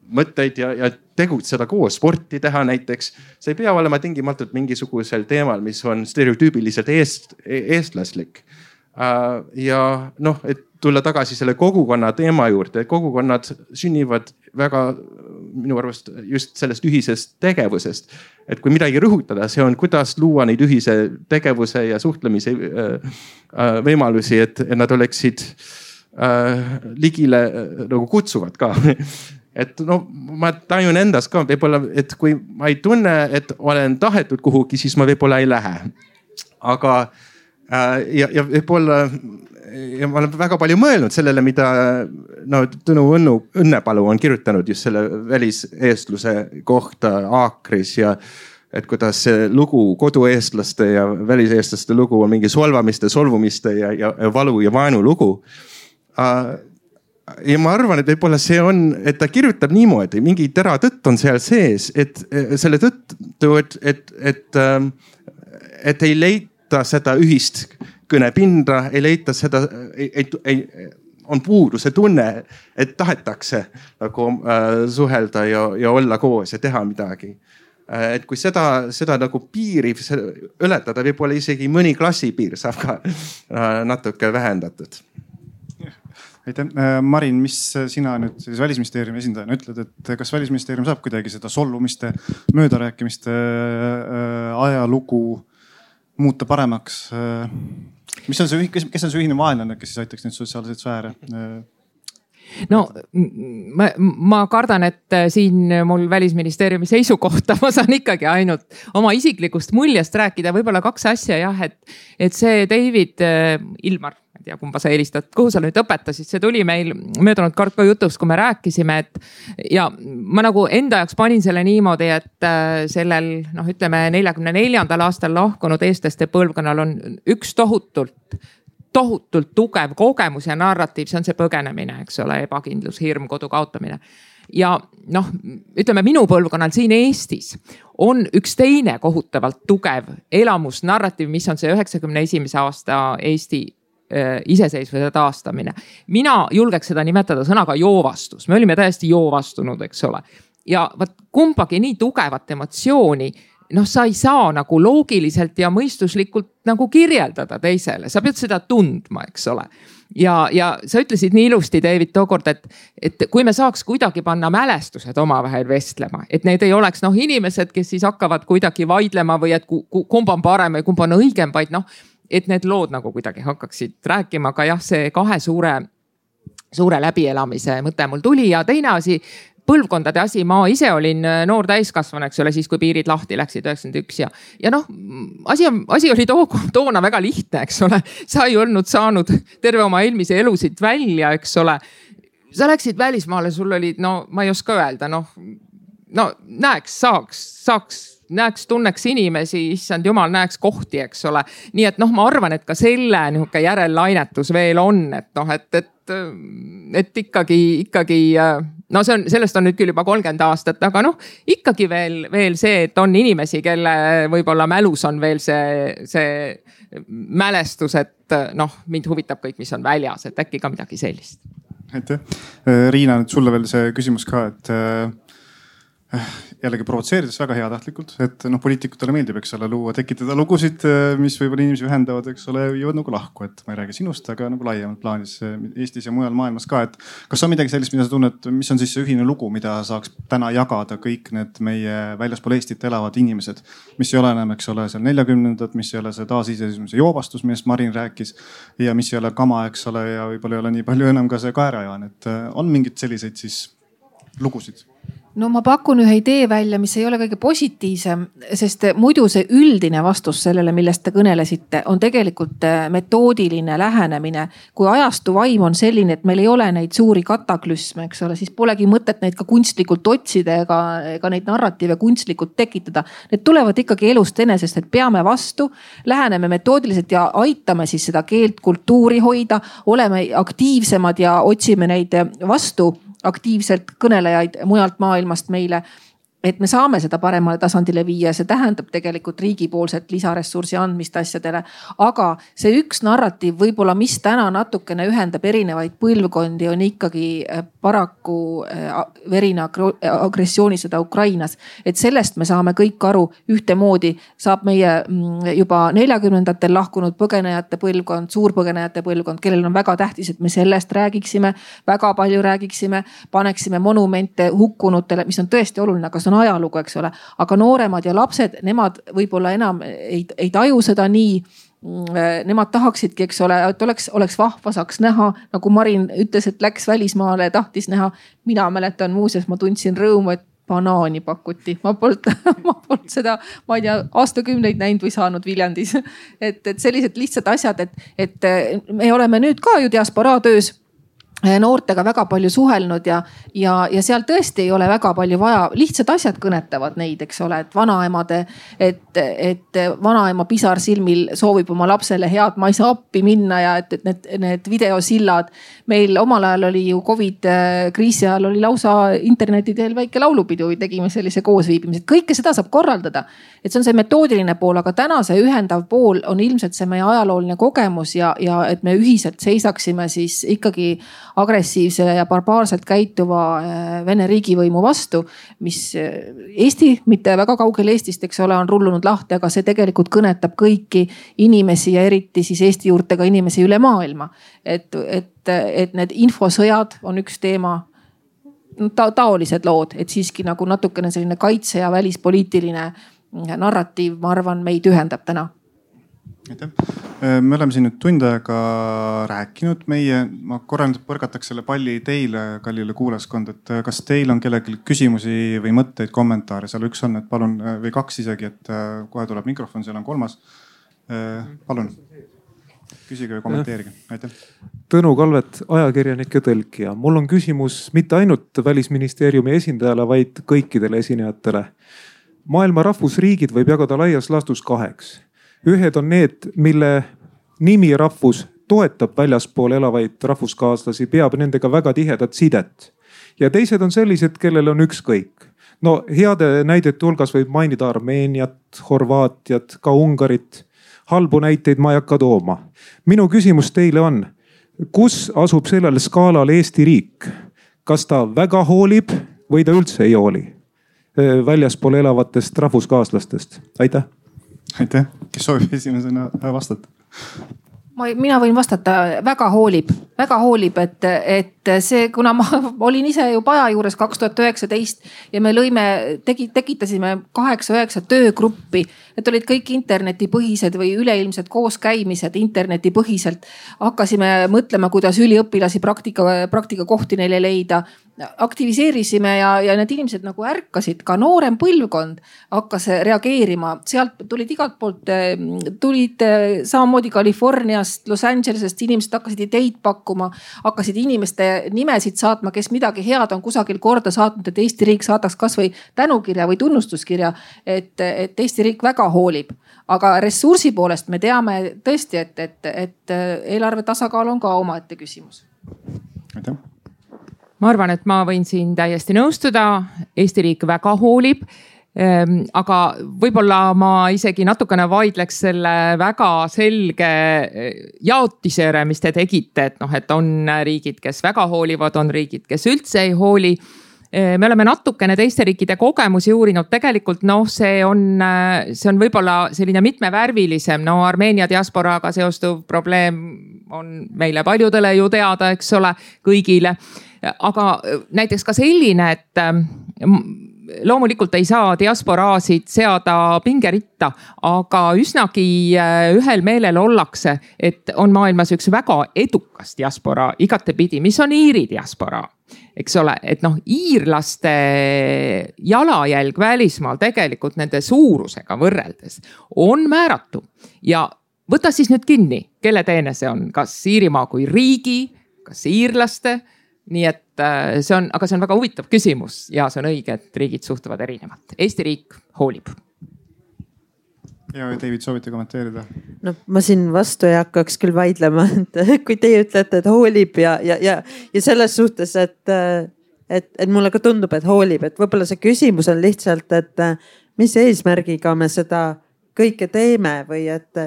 mõtteid ja, ja tegutseda koos, sporti teha näiteks. See ei pea olema tingimatult mingisugusel teemal, mis on stereotüübiliselt eest, eestlaslik. Ja noh, et tulla tagasi selle kogukonna teema juurde, kogukonnad sünnivad väga minu arvast just sellest ühisest tegevusest. Et kui midagi rõhutada, see on, kuidas luua neid ühise tegevuse ja suhtlemise võimalusi, et nad oleksid ligile nagu kutsuvad ka. Et no ma tajun endas ka võib-olla, et kui ma ei tunne, et olen tahetud kuhugi, siis ma võib-olla ei lähe. Aga ja, ja võib-olla ja ma olen väga palju mõelnud sellele, mida no, Tõnu Õnnu, Õnnepalu on kirjutanud just selle väliseestluse kohta Aakris ja et kuidas see lugu kodueestlaste ja väliseestlaste lugu on mingi solvamiste, solvumiste ja, ja, ja valu ja vaenu lugu. Ja ma arvan, et võib-olla see on, et ta kirjutab niimoodi, mingi tera tõtt on seal sees, et selle tõttu, et, et, et, et ei leita seda ühist kõnepinda, ei leita seda, ei, ei, ei, on puudu see tunne, et tahetakse nagu äh, suhelda ja, ja olla koos ja teha midagi. Et kui seda, seda nagu piiri ületada, võib-olla isegi mõni klassipiir saab ka äh, natuke vähendatud. Aitäh. Marin, mis sina nüüd siis Välisministeeriumi esindajana ütled, et kas Välisministeerium saab kuidagi seda solvumiste, möödarääkimiste ajalugu muuta paremaks? Mis on see, kes on see ühine vaenlane, kes siis aitaks neid sotsiaalseid sfääre? No ma, ma kardan, et siin mul Välisministeeriumi seisukohta ma saan ikkagi ainult oma isiklikust muljest rääkida. Võib-olla kaks asja jah, et, et see David Ilmar, ma ei tea, kumba sa helistad, kuhu sa nüüd õpetasid, see tuli meil möödunud kord ka jutuks, kui me rääkisime, et ja ma nagu enda jaoks panin selle niimoodi, et sellel, noh, ütleme neljakümne neljandal aastal lahkunud eestlaste põlvkonnal on üks tohutult tohutult tugev kogemus ja narratiiv, see on see põgenemine, eks ole, ebakindlus, hirm, kodu kaotamine. Ja noh, ütleme minu põlvkonnal siin Eestis on üks teine kohutavalt tugev elamus narratiiv, mis on see üheksakümne esimese aasta Eesti äh, iseseisvuse taastamine. Mina julgeks seda nimetada sõnaga joovastus. Me olime täiesti joovastunud, eks ole. Ja vaat kumbagi nii tugevat emotsiooni noh, sa ei saa nagu loogiliselt ja mõistuslikult nagu kirjeldada teisele. Sa pead seda tundma, eks ole. Ja, ja sa ütlesid nii ilusti, David, tookord, et, et kui me saaks kuidagi panna mälestused omavahel vestlema, et need ei oleks noh, inimesed, kes siis hakkavad kuidagi vaidlema või et kumb on parem või kumb on õigem, vaid noh, et need lood nagu kuidagi hakkaksid rääkima. Aga jah, see kahe suure, suure läbielamise mõte mul tuli ja teine asi, põlvkondade asi, ma ise olin noor täiskasvanu, eks ole, siis kui piirid lahti läksid üheksakümmend üks ja, ja noh, asi, asi oli too, toona väga lihtne, eks ole. Sa ei olnud saanud terve oma eelmise elusid välja, eks ole. Sa läksid välismaale, sul oli, no ma ei oska öelda, noh, no näeks, saaks, saaks, näeks, tunneks inimesi, issand jumal, näeks kohti, eks ole. Nii et noh, ma arvan, et ka selle nihuke järellainetus veel on, et noh, et, et, et ikkagi, ikkagi no see on, sellest on nüüd küll juba kolmkümmend aastat, aga noh, ikkagi veel, veel see, et on inimesi, kelle võib-olla mälus on veel see, see mälestus, et noh, mind huvitab kõik, mis on väljas, et äkki ka midagi sellist. Aitäh. Riina, nüüd sulle veel see küsimus ka, et jällegi provotseerides väga heatahtlikult, et noh, poliitikutele meeldib, eks ole, luua, tekitada lugusid, mis võib-olla inimesi ühendavad, eks ole, jõuad nagu lahku, et ma ei räägi sinust, aga nagu laiemalt plaanis Eestis ja mujal maailmas ka, et kas on midagi sellist, mida sa tunned, mis on siis see ühine lugu, mida saaks täna jagada kõik need meie väljaspool Eestit elavad inimesed, mis ei ole enam, eks ole, seal neljakümnendad, mis ei ole see taasiseseisvumise joovastus, millest Marin rääkis ja mis ei ole kama, eks ole, ja võib-olla ei ole nii palju enam ka see kaerajaan, et on mingid selliseid siis lugusid? No ma pakun ühe idee välja, mis ei ole kõige positiivsem, sest muidu see üldine vastus sellele, millest te kõnelesite, on tegelikult metoodiline lähenemine. Kui ajastu vaim on selline, et meil ei ole neid suuri kataklüsme, eks ole, siis polegi mõtet neid ka kunstlikult otsida ega, ega neid narratiive kunstlikult tekitada. Need tulevad ikkagi elust enesest, et peame vastu, läheneme metoodiliselt ja aitame siis seda keelt, kultuuri hoida, oleme aktiivsemad ja otsime neid vastu aktiivselt kõnelejaid mujalt maailmast meile. et me saame seda paremale tasandile viia, see tähendab tegelikult riigipoolset lisaressursi andmist asjadele. aga see üks narratiiv võib-olla, mis täna natukene ühendab erinevaid põlvkondi, on ikkagi paraku verine agressioonisõda Ukrainas. et sellest me saame kõik aru ühtemoodi, saab meie juba neljakümnendatel lahkunud põgenejate põlvkond, suurpõgenejate põlvkond, kellel on väga tähtis, et me sellest räägiksime, väga palju räägiksime, paneksime monumente hukkunutele, mis on tõesti oluline, aga see on ajalugu, eks ole. aga nooremad ja lapsed, nemad võib-olla enam ei, ei taju seda nii. Nemad tahaksidki, eks ole, et oleks, oleks vahva, saaks näha, nagu Marin ütles, et läks välismaale ja tahtis näha. mina mäletan muuseas, ma tundsin rõõmu, et banaani pakuti. Ma polnud, ma polnud seda, ma ei tea, aastakümneid näinud või saanud Viljandis. Et, et sellised lihtsad asjad, et, et me oleme nüüd ka ju diasporaa töös noortega väga palju suhelnud ja, ja, ja seal tõesti ei ole väga palju vaja. Lihtsad asjad kõnetavad neid, eks ole, et vanaemade, et, et vanaema pisar silmil soovib oma lapsele head, ma ei saa appi minna ja et, et need, need videosillad. Meil omal ajal oli ju Covid kriisi ajal oli lausa interneti teel väike laulupidu või tegime sellise koosviibimise. Kõike seda saab korraldada. Et see on see metoodiline pool, aga täna see ühendav pool on ilmselt see meie ajalooline kogemus ja, ja et me ühiselt seisaksime siis ikkagi agressiivse ja barbaarselt käituva Vene riigivõimu vastu, mis Eesti, mitte väga kaugel Eestist, eks ole, on rullunud lahti, aga see tegelikult kõnetab kõiki inimesi ja eriti siis Eesti juurtega inimesi üle maailma. Et, et, et need infosõjad on üks teema, ta, taolised lood, et siiski nagu natukene selline kaitse ja välispoliitiline narratiiv, ma arvan, meid ühendab täna. Aitäh. Me oleme siin nüüd tund aega rääkinud. Meie, ma korra nüüd põrgataks selle palli teile, kallile kuulajaskond, et kas teil on kellelgi küsimusi või mõtteid, kommentaare? Seal üks on, et palun, või kaks isegi, et kohe tuleb mikrofon, seal on kolmas. Palun, küsige või kommenteerige. Aitäh. Tõnu Kalvet, ajakirjanik ja tõlkija. Mul on küsimus mitte ainult Välisministeeriumi esindajale, vaid kõikidele esinejatele. Maailma rahvusriigid võib jagada laias laastus kaheks. Ühed on need, mille nimi rahvus toetab väljaspool elavaid rahvuskaaslasi, peab nendega väga tihedat sidet. Ja teised on sellised, kellel on ükskõik. No heade näidete hulgas võib mainida Armeeniat, Horvaatiat, ka Ungarit. Halbu näiteid ma ei hakka tooma. Minu küsimus teile on, kus asub sellel skaalal Eesti riik? Kas ta väga hoolib või ta üldse ei hooli väljaspool elavatest rahvuskaaslastest? Aitäh. Aitäh. Kes soovib esimesena vastata? Ma, mina võin vastata, väga hoolib, väga hoolib, et, et see, kuna ma olin ise ju Paja juures kaks tuhat üheksateist ja me lõime, tegi, tekitasime kaheksa üheksa töögruppi. Need olid kõik internetipõhised või üleilmsed kooskäimised internetipõhiselt. Hakkasime mõtlema, kuidas üliõpilasi praktika, praktika kohti neile leida. Aktiviseerisime ja, ja need inimesed nagu ärkasid, ka noorem põlvkond hakkas reageerima. Sealt tulid igalt poolt, tulid samamoodi Californiast, Los Angelesest, inimesed hakkasid ideid pakkuma, hakkasid inimeste nimesid saatma, kes midagi head on kusagil korda saatnud, et Eesti riik saadaks kas või tänukirja või tunnustuskirja, et, et Eesti riik väga hoolib. Aga ressursi poolest me teame tõesti, et, et, et eelarve tasakaal on ka omaette küsimus. Aitäh. Ma arvan, et ma võin siin täiesti nõustuda. Eesti riik väga hoolib. Aga võib-olla ma isegi natukene vaidleks selle väga selge jaotisere, mis te tegite. Et, noh, et on riigid, kes väga hoolivad, on riigid, kes üldse ei hooli. Me oleme natukene teiste riikide kogemusi uurinud. Tegelikult noh, see on, see on võib-olla selline mitmevärvilisem. No Armeenia diasporaaga seostuv probleem on meile paljudele ju teada, eks ole, kõigile. Aga näiteks ka selline, et loomulikult ei saa diasporaasid seada pingeritta, aga üsnagi ühel meelel ollakse, et on maailmas üks väga edukas diasporaa igatepidi, mis on Iiri diasporaa. Eks ole, et noh, iirlaste jalajälg välismaal tegelikult nende suurusega võrreldes on määratu. Ja võta siis nüüd kinni, kelle teene see on, kas Iirimaa kui riigi, kas iirlaste. Nii et see on, aga see on väga huvitav küsimus ja see on õige, et riigid suhtuvad erinevat. Eesti riik hoolib. Ja David, soovite kommenteerida? No ma siin vastu ei hakkaks küll vaidlema, et kui teie ütlete, et hoolib ja, ja, ja, ja selles suhtes, et, et, et mulle ka tundub, et hoolib, et võib-olla see küsimus on lihtsalt, et mis eesmärgiga me seda kõike teeme või et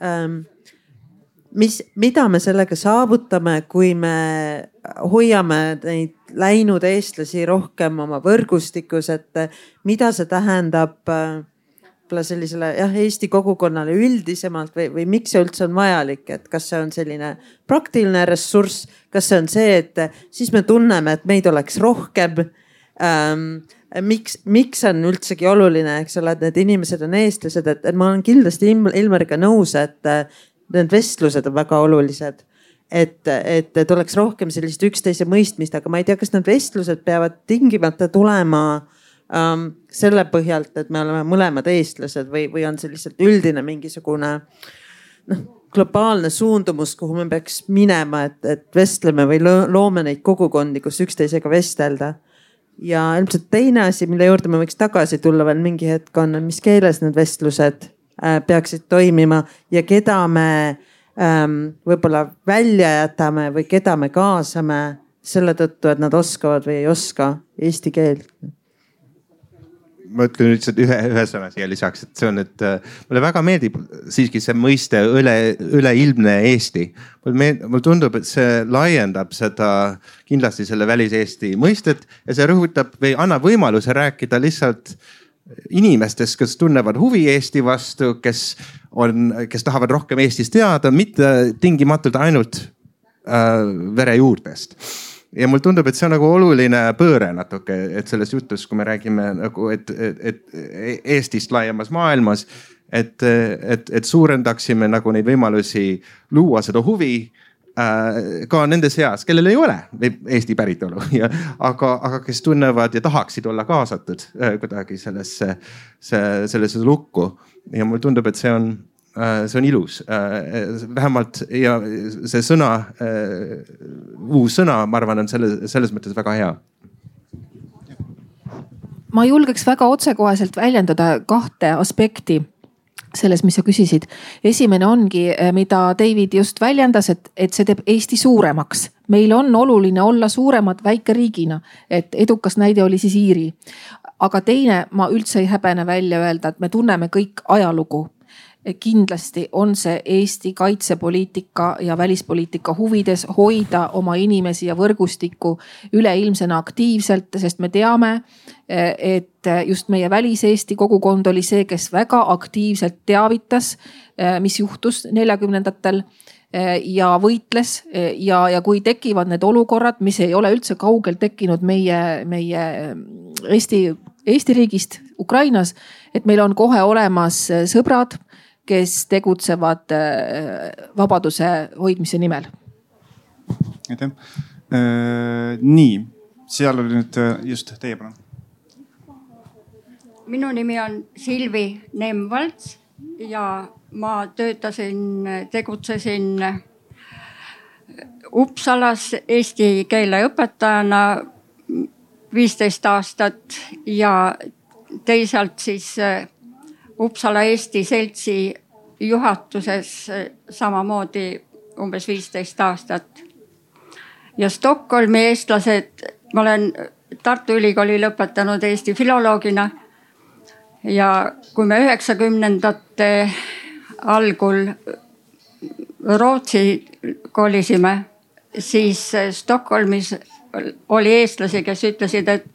ähm, mis, mida me sellega saavutame, kui me hoiame neid läinud eestlasi rohkem oma võrgustikus, et mida see tähendab võib-olla sellisele jah, Eesti kogukonnale üldisemalt või, või miks see üldse on vajalik, et kas see on selline praktiline ressurss, kas see on see, et siis me tunneme, et meid oleks rohkem ähm, miks, miks on üldsegi oluline, eks ole, et need inimesed on eestlased, et, et ma olen kindlasti Ilmariga nõus, et need vestlused on väga olulised. Et, et, et oleks rohkem sellist üksteise mõistmist, aga ma ei tea, kas need vestlused peavad tingimata tulema ähm, selle põhjalt, et me oleme mõlemad eestlased või, või on see lihtsalt üldine mingisugune noh, globaalne suundumus, kuhu me peaks minema, et, et vestleme või loome neid kogukondi, kus üksteisega vestelda. Ja ilmselt teine asi, mille juurde me võiks tagasi tulla veel mingi hetk on, mis keeles need vestlused äh, peaksid toimima ja keda me ähm, võib-olla välja jätame või keda me kaasame selle tõttu, et nad oskavad või ei oska eesti keelt. Ma ütlen lihtsalt ühe, ühe sõna siia lisaks, et see on, et mulle väga meeldib siiski see mõiste üle, üleilmne Eesti. Mulle tundub, et see laiendab seda kindlasti selle välis-Eesti mõistet ja see rõhutab või annab võimaluse rääkida lihtsalt inimestest, kes tunnevad huvi Eesti vastu, kes on, kes tahavad rohkem Eestist teada, mitte tingimatult ainult äh, verejuurdest. Ja mul tundub, et see on nagu oluline pööre natuke, et selles jutus, kui me räägime nagu, et, et, et Eestist laiemas maailmas, et, et, et suurendaksime nagu neid võimalusi luua seda huvi äh, ka nende seas, kellel ei ole Eesti päritolu, ja, aga, aga kes tunnevad ja tahaksid olla kaasatud äh, kuidagi sellesse, sellesse lukku. Ja mul tundub, et see on see on ilus, vähemalt ja see sõna, uus sõna, ma arvan, on selles, selles mõttes väga hea. Ma julgeks väga otsekoheselt väljendada kahte aspekti selles, mis sa küsisid. Esimene ongi, mida David just väljendas, et, et see teeb Eesti suuremaks. Meil on oluline olla suuremad väikeriigina, et edukas näide oli siis Iiri. Aga teine, ma üldse ei häbene välja öelda, et me tunneme kõik ajalugu. Kindlasti on see Eesti kaitsepoliitika ja välispoliitika huvides hoida oma inimesi ja võrgustikku üleilmsena aktiivselt, sest me teame, et just meie välis-Eesti kogukond oli see, kes väga aktiivselt teavitas, mis juhtus neljakümnendatel ja võitles ja, ja kui tekivad need olukorrad, mis ei ole üldse kaugel tekkinud meie, meie Eesti, Eesti riigist Ukrainas, et meil on kohe olemas sõbrad, kes tegutsevad vabaduse hoidmise nimel. Aitäh. Nii, seal oli nüüd just teie palun. Minu nimi on Silvi Nemm-Valts ja ma töötasin, tegutsesin Uppsalas eesti keele õpetajana viisteist aastat ja teisalt siis Uppsala Eesti Seltsi juhatuses samamoodi umbes viisteist aastat. Ja Stockholmi eestlased, ma olen Tartu Ülikooli lõpetanud Eesti filoloogina ja kui me üheksakümnendate algul Rootsi kolisime, siis Stockholmis oli eestlasi, kes ütlesid, et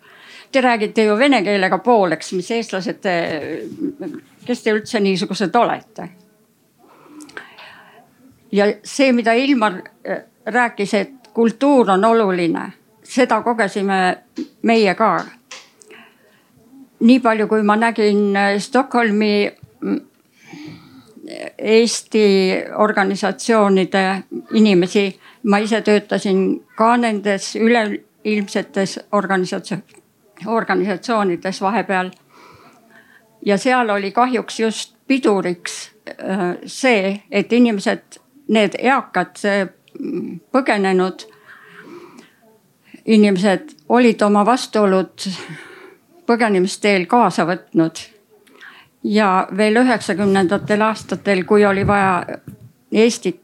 te räägite ju vene keelega pooleks, mis eestlased te, kes te üldse niisugused olete. Ja see, mida Ilmar rääkis, et kultuur on oluline, seda kogesime meie ka. Nii palju, kui ma nägin Stockholmi Eesti organisatsioonide inimesi, ma ise töötasin ka nendes üleilmsetes organisatsioonides. organisatsioonides vahepeal. Ja seal oli kahjuks just piduriks see, et inimesed, need eakad põgenenud inimesed olid oma vastuolud põgenemisteel kaasa võtnud. Ja veel üheksakümnendatel aastatel, kui oli vaja Eestit,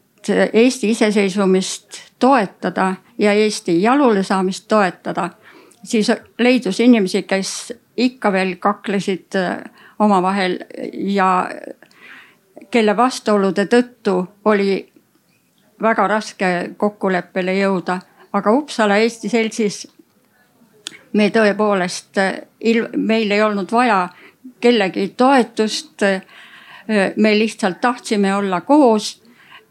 Eesti iseseisvumist toetada ja Eesti jalule saamist toetada, siis leidus inimesi, kes ikka veel kaklesid omavahel ja kelle vastuolude tõttu oli väga raske kokkuleppele jõuda. Aga Uppsala Eesti Seltsis me tõepoolest, meil ei olnud vaja kellegi toetust. Me lihtsalt tahtsime olla koos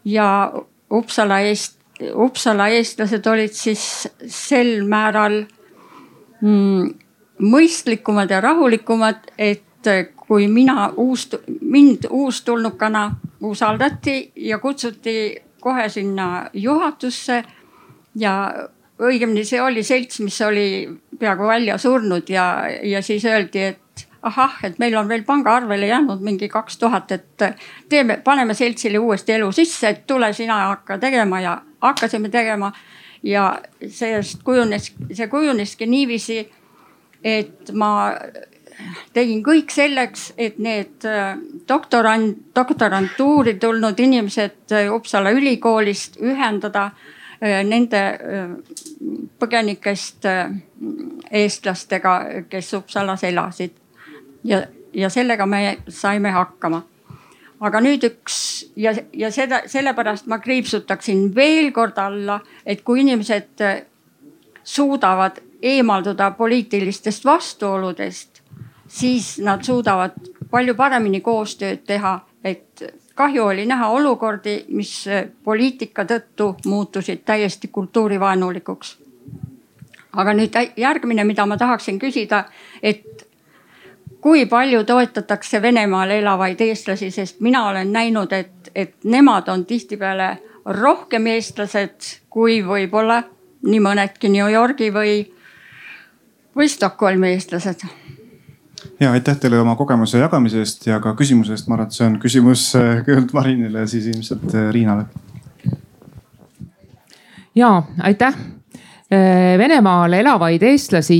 ja Uppsala Eest, Uppsala eestlased olid siis sel määral mm, mõistlikumad ja rahulikumad, et kui mina uus, mind uustulnukana usaldati ja kutsuti kohe sinna juhatusse ja õigemini see oli selts, mis oli peaaegu välja surnud ja, ja siis öeldi, et ahah, et meil on veel pangaarvele jäänud mingi kaks tuhat, et teeme, paneme seltsile uuesti elu sisse, et tule sina hakka tegema ja hakkasime tegema. Ja sellest kujunes, see kujuneski niiviisi, et ma tegin kõik selleks, et need doktorant, doktorantuuri tulnud inimesed Uppsala ülikoolist ühendada nende põgenikest eestlastega, kes Uppsalas elasid. Ja, ja sellega me saime hakkama. Aga nüüd üks ja, ja seda, sellepärast ma kriipsutaksin veel kord alla, et kui inimesed suudavad eemalduda poliitilistest vastuoludest, siis nad suudavad palju paremini koostööd teha, et kahju oli näha olukordi, mis poliitika tõttu muutusid täiesti kultuurivaenulikuks. Aga nüüd järgmine, mida ma tahaksin küsida, et kui palju toetatakse Venemaal elavaid eestlasi, sest mina olen näinud, et, et nemad on tihtipeale rohkem eestlased kui võib-olla nii mõnedki New Yorgi või, või Stockholmi eestlased. Ja aitäh teile oma kogemuse jagamise eest ja ka küsimuse eest. Ma arvan, et see on küsimus kõigepealt Marinile ja siis ilmselt Riinale. Ja aitäh. Venemaal elavaid eestlasi,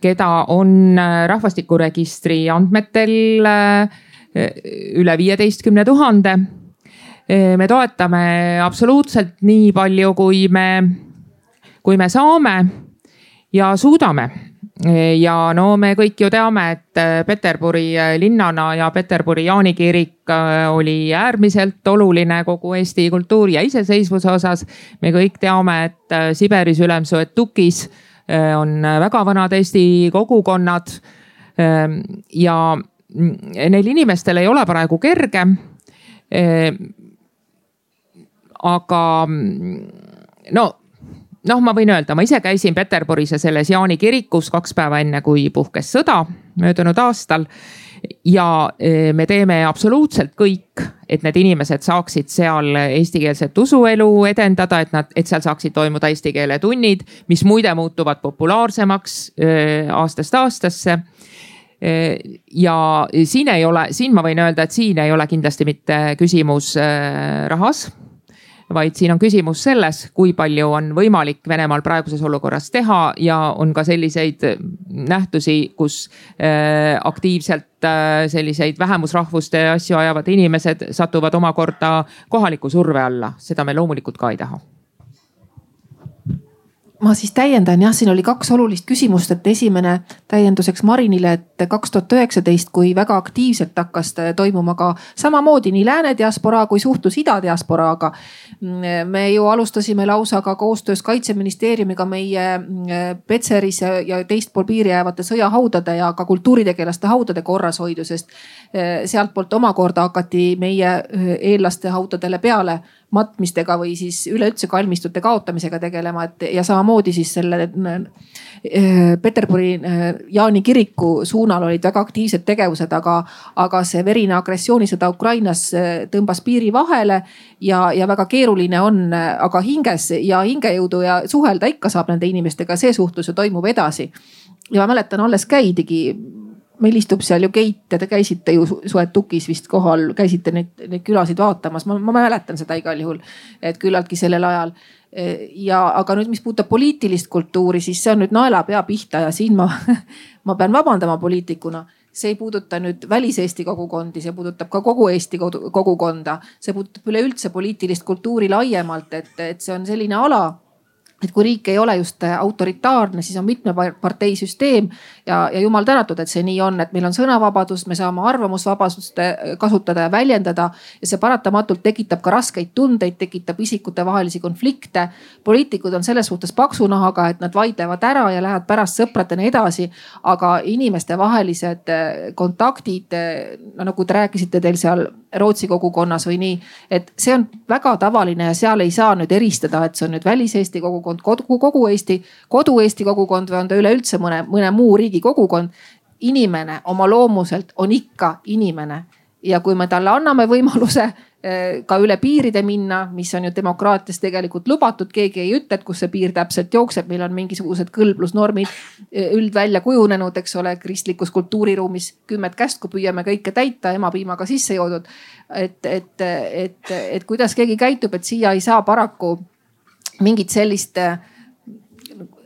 keda on rahvastikuregistri andmetel üle viieteistkümne tuhande. Me toetame absoluutselt nii palju, kui me, kui me saame ja suudame. Ja no me kõik ju teame, et Peterburi linnana ja Peterburi Jaani kirik oli äärmiselt oluline kogu Eesti kultuuri ja iseseisvuse osas. Me kõik teame, et Siberis Ülemsoetukis on väga vanad Eesti kogukonnad ja neil inimestel ei ole praegu kerge. Aga no Noh, ma võin öelda, ma ise käisin Peterburis ja selles Jaani kirikus kaks päeva enne, kui puhkes sõda möödunud aastal. Ja me teeme absoluutselt kõik, et need inimesed saaksid seal eestikeelset usuelu edendada, et, nad, et seal saaksid toimuda eesti keele tunnid, mis muide muutuvad populaarsemaks aastast aastasse. Ja siin ei ole, siin ma võin öelda, et siin ei ole kindlasti mitte küsimus rahas, vaid siin on küsimus selles, kui palju on võimalik Venemaal praeguses olukorras teha ja on ka selliseid nähtusi, kus aktiivselt selliseid vähemusrahvuste asju ajavad inimesed satuvad omakorda kohaliku surve alla. Seda me loomulikult ka ei taha. Ma siis täiendan, jah, siin oli kaks olulist küsimust, et esimene täienduseks Marinile, et kaks tuhat üheksateist, kui väga aktiivselt hakkas toimuma ka samamoodi nii lääne diasporaa kui suhtlus ida diasporaaga. Me ju alustasime lausa ka koostöös Kaitseministeeriumiga meie Petseris ja teist pool piiri jäävate sõjahaudade ja ka kultuuritegelaste haudade korrashoidu, sest sealt poolt omakorda hakati meie eellaste haudadele peale matmistega või siis üleüldse kalmistute kaotamisega tegelema, et ja samamoodi siis selle Peterburi Jaani kiriku suunal olid väga aktiivsed tegevused, aga, aga see verine agressioonisõda Ukrainas tõmbas piiri vahele ja, ja väga keeruline on, aga hinges ja hingejõudu ja suhelda ikka saab nende inimestega, see suhtlus ju toimub edasi. Ja ma mäletan, alles käidigi, meil istub seal ju Keit ja te käisite ju Soetukis vist kohal, käisite neid, neid külasid vaatamas. Ma, ma mäletan seda igal juhul, et küllaltki sellel ajal. Ja aga nüüd, mis puudutab poliitilist kultuuri, siis see on nüüd naelapea pihta ja siin ma, ma pean vabandama poliitikuna. See ei puuduta nüüd väliseesti kogukondi, see puudutab ka kogu Eesti kogukonda. See puudutab üleüldse poliitilist kultuuri laiemalt, et, et see on selline ala, et kui riik ei ole just autoritaarne, siis on mitme parteisüsteem ja, ja jumal tänatud, et see nii on, et meil on sõnavabadus, me saame arvamusvabadust kasutada ja väljendada ja see paratamatult tekitab ka raskeid tundeid, tekitab isikute vahelisi konflikte. poliitikud on selles suhtes paksunahaga, et nad vaidlevad ära ja lähevad pärast sõpradena edasi, aga inimeste vahelised kontaktid, no nagu te rääkisite teil seal Rootsi kogukonnas või nii, et see on väga tavaline ja seal ei saa nüüd eristada, et see on nüüd välis-Eesti kogukond, kogu, kogu Eesti, kodu-Eesti kogukond või on ta üleüldse mõne, mõne muu riigi kogukond. Inimene oma loomuselt on ikka inimene ja kui me talle anname võimaluse ka üle piiride minna, mis on ju demokraatias tegelikult lubatud, keegi ei ütle, et kus see piir täpselt jookseb, meil on mingisugused kõlblusnormid üldvälja kujunenud, eks ole, kristlikus kultuuriruumis kümmet käst, kui püüame kõike täita, emapiimaga sisse joodud. et, et, et, et kuidas keegi käitub, et siia ei saa paraku mingit sellist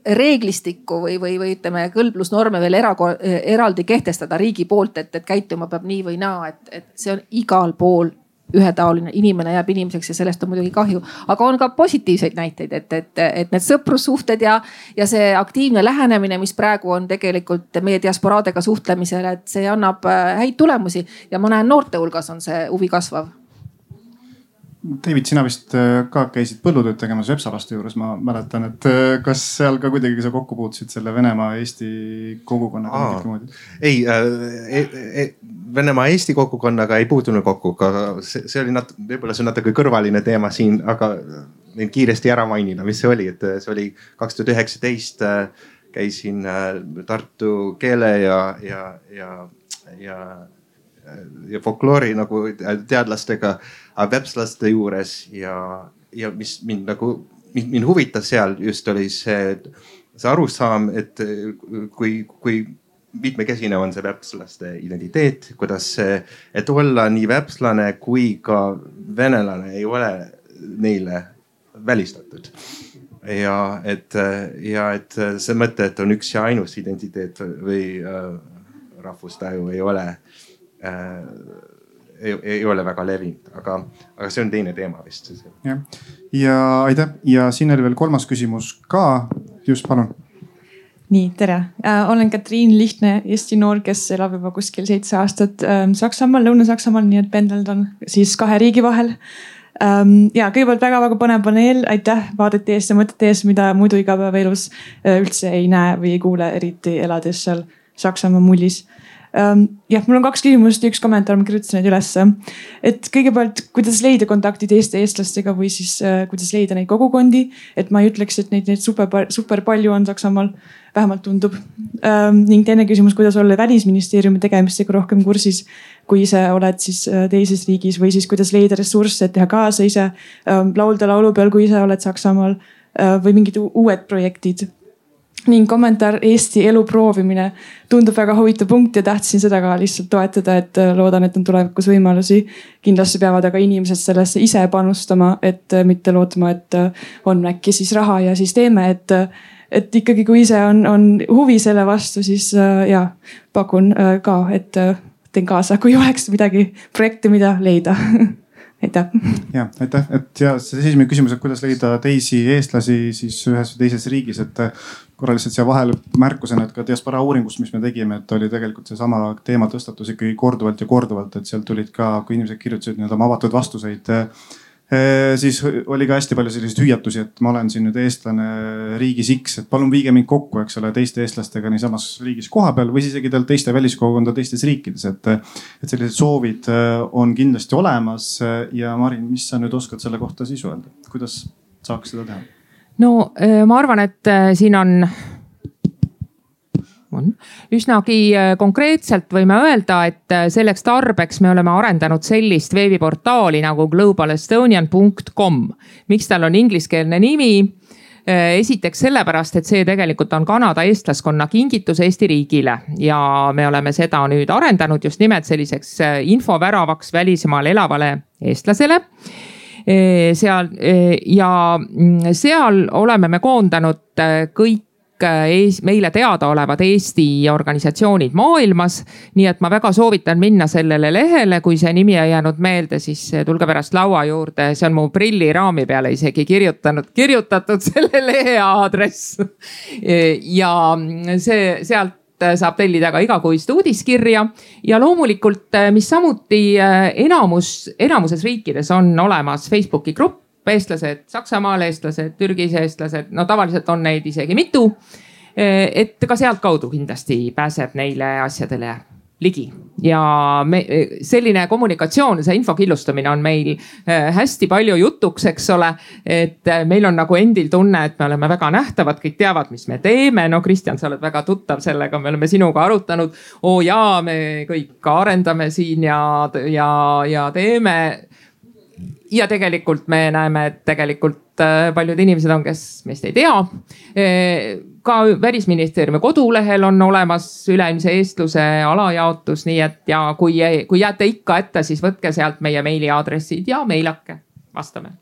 reeglistikku või, või, või ütleme kõlblusnorme veel era, eraldi kehtestada riigi poolt, et, et käituma peab nii või naa, et, et see on igal pool ühetaoline, inimene jääb inimeseks ja sellest on muidugi kahju, aga on ka positiivseid näiteid, et, et, et need sõprussuhted ja, ja see aktiivne lähenemine, mis praegu on tegelikult meie diasporaadega suhtlemisel, et see annab häid tulemusi ja ma näen noorte hulgas on see huvi kasvav. David, sina vist ka käisid põllutööd tegemas Vepsalaste juures, ma mäletan, et kas seal ka kuidagi sa kokku puutusid selle Venemaa Eesti kogukonnaga? Ei, e, e, Venemaa Eesti kogukonnaga ei puutunud kokku, aga see, see oli nat-, võib-olla see on natuke kõrvaline teema siin, aga võin kiiresti ära mainida, mis see oli, et see oli kaks tuhat üheksateist käisin Tartu keele ja, ja, ja, ja, ja folkloori nagu teadlastega Vepslaste juures ja, ja mis mind nagu, mind huvitas seal just oli see, see arusaam, et kui, kui mitmekesine on see vepslaste identiteet, kuidas see, et olla nii vepslane kui ka venelane ei ole neile välistatud. Ja et, ja et see mõte, et on üks ja ainus identiteet või äh, rahvustaju ei ole äh, Ei, ei ole väga levinud, aga, aga see on teine teema vist. Ja, ja aitäh. Ja siin oli veel kolmas küsimus ka. Just, palun. Nii, tere. Äh, olen Katriin Lihtne, Eesti noor, kes elab juba kuskil seitse aastat äh, Saksamaal, Lõuna-Saksamaal, nii et pendeldan siis kahe riigi vahel. Ähm, ja kõigepealt väga-väga põnev paneel. Aitäh vaadete eest ja mõtete eest, mida muidu igapäevaelus äh, üldse ei näe või ei kuule, eriti elades seal Saksamaa mullis. Jah, mul on kaks küsimust ja üks kommentaar, ma kirjutasin neid ülesse. Et kõigepealt, kuidas leida kontaktid Eesti eestlastega või siis äh, kuidas leida neid kogukondi. Et ma ei ütleks, et neid, neid super, super palju on Saksamaal, vähemalt tundub. Ähm, ning teine küsimus, kuidas olla välisministeeriumi tegemistega rohkem kursis, kui ise oled siis teises riigis või siis kuidas leida ressursse, et teha kaasa ise ähm, laulda laulu peal, kui ise oled Saksamaal äh, või mingid uued projektid. Ning kommentaar Eesti elu proovimine tundub väga huvitav punkt ja tahtsin seda ka lihtsalt toetada, et loodan, et on tulevikus võimalusi. Kindlasti peavad aga inimesed sellesse ise panustama, et mitte lootma, et on äkki siis raha ja siis teeme, et, et ikkagi kui ise on, on huvi selle vastu, siis ja pakun ka, et teen kaasa, kui oleks midagi projekte, mida leida. Aitäh. Ja, aitäh. Et ja see esimene küsimus, et kuidas leida teisi eestlasi siis ühes või teises riigis, et korra lihtsalt siia vahel märkusena, et ka diaspora uuringust, mis me tegime, et oli tegelikult see sama teema tõstatus ikkagi korduvalt ja korduvalt, et sealt tulid ka, kui inimesed kirjutasid nii-öelda oma avatud vastuseid, siis oli ka hästi palju selliseid hüüatusi, et ma olen siin nüüd eestlane riigis X, et palun viige mind kokku, eks ole, teiste eestlastega niisamas riigis koha peal või siis isegi teiste väliskogukonda teistes riikides, et, et sellised soovid on kindlasti olemas. Ja Marin, mis sa nüüd oskad selle kohta siis öelda? Kuidas saaks seda teha? No ma arvan, et siin on on. Üsnagi konkreetselt võime öelda, et selleks tarbeks me oleme arendanud sellist veebiportaali nagu global estonian punkt com. Miks tal on ingliskeelne nimi? Esiteks sellepärast, et see tegelikult on Kanada eestlaskonna kingitus Eesti riigile ja me oleme seda nüüd arendanud just nimelt selliseks infoväravaks välismaal elavale eestlasele. Seal ja seal oleme me koondanud kõik meile teadaolevad Eesti organisatsioonid maailmas. nii et ma väga soovitan minna sellele lehele, kui see nimi ei jäänud meelde, siis tulge pärast laua juurde, see on mu prilliraami peale isegi kirjutanud, kirjutatud selle lehe aadress. ja see sealt saab tellida ka igakuist uudiskirja ja loomulikult, mis samuti enamus, enamuses riikides on olemas Facebooki grupp, eestlased Saksamaal, eestlased Türgis, eestlased, no tavaliselt on neid isegi mitu. et ka sealt kaudu kindlasti pääseb neile asjadele ligi ja me, selline kommunikatsioon, see info killustamine on meil hästi palju jutuks, eks ole, et meil on nagu endil tunne, et me oleme väga nähtavad, kõik teavad, mis me teeme. no Kristjan, sa oled väga tuttav sellega, me oleme sinuga arutanud. oo jaa, me kõik arendame siin ja, ja, ja teeme. ja tegelikult me näeme, et tegelikult paljud inimesed on, kes meist ei tea. ka Välisministeeriumi kodulehel on olemas üleilmse eestluse alajaotus, nii et ja kui, kui jääte ikka ette, siis võtke sealt meie meiliaadressid ja meilake, vastame.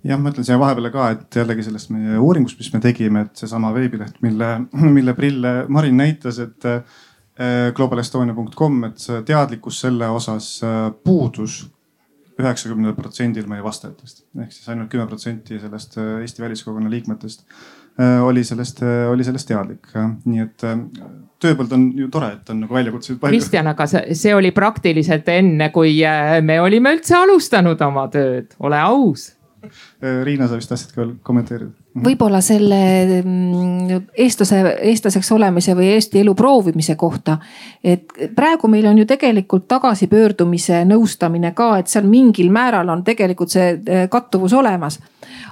jah, ma ütlen siia vahepeale ka, et jällegi sellest meie uuringust, mis me tegime, et seesama veebileht, mille, mille Prill Marin näitas, et global estonia punkt com, et see teadlikkus selle osas puudus üheksakümnel protsendil meie vastajatest. Ehk siis ainult kümme protsenti sellest Eesti väliskogukonna liikmetest oli sellest, oli sellest teadlik. Nii et tööpõld on ju tore, et on nagu väljakutseid palju. Kristjan, aga see, see oli praktiliselt enne, kui me olime üldse alustanud oma tööd. Ole aus. Riina, sa vist tahtsid ka veel kommenteerida? Võib-olla selle eestlase, eestlaseks olemise või Eesti elu proovimise kohta. Et praegu meil on ju tegelikult tagasipöördumise nõustamine ka, et seal mingil määral on tegelikult see kattuvus olemas.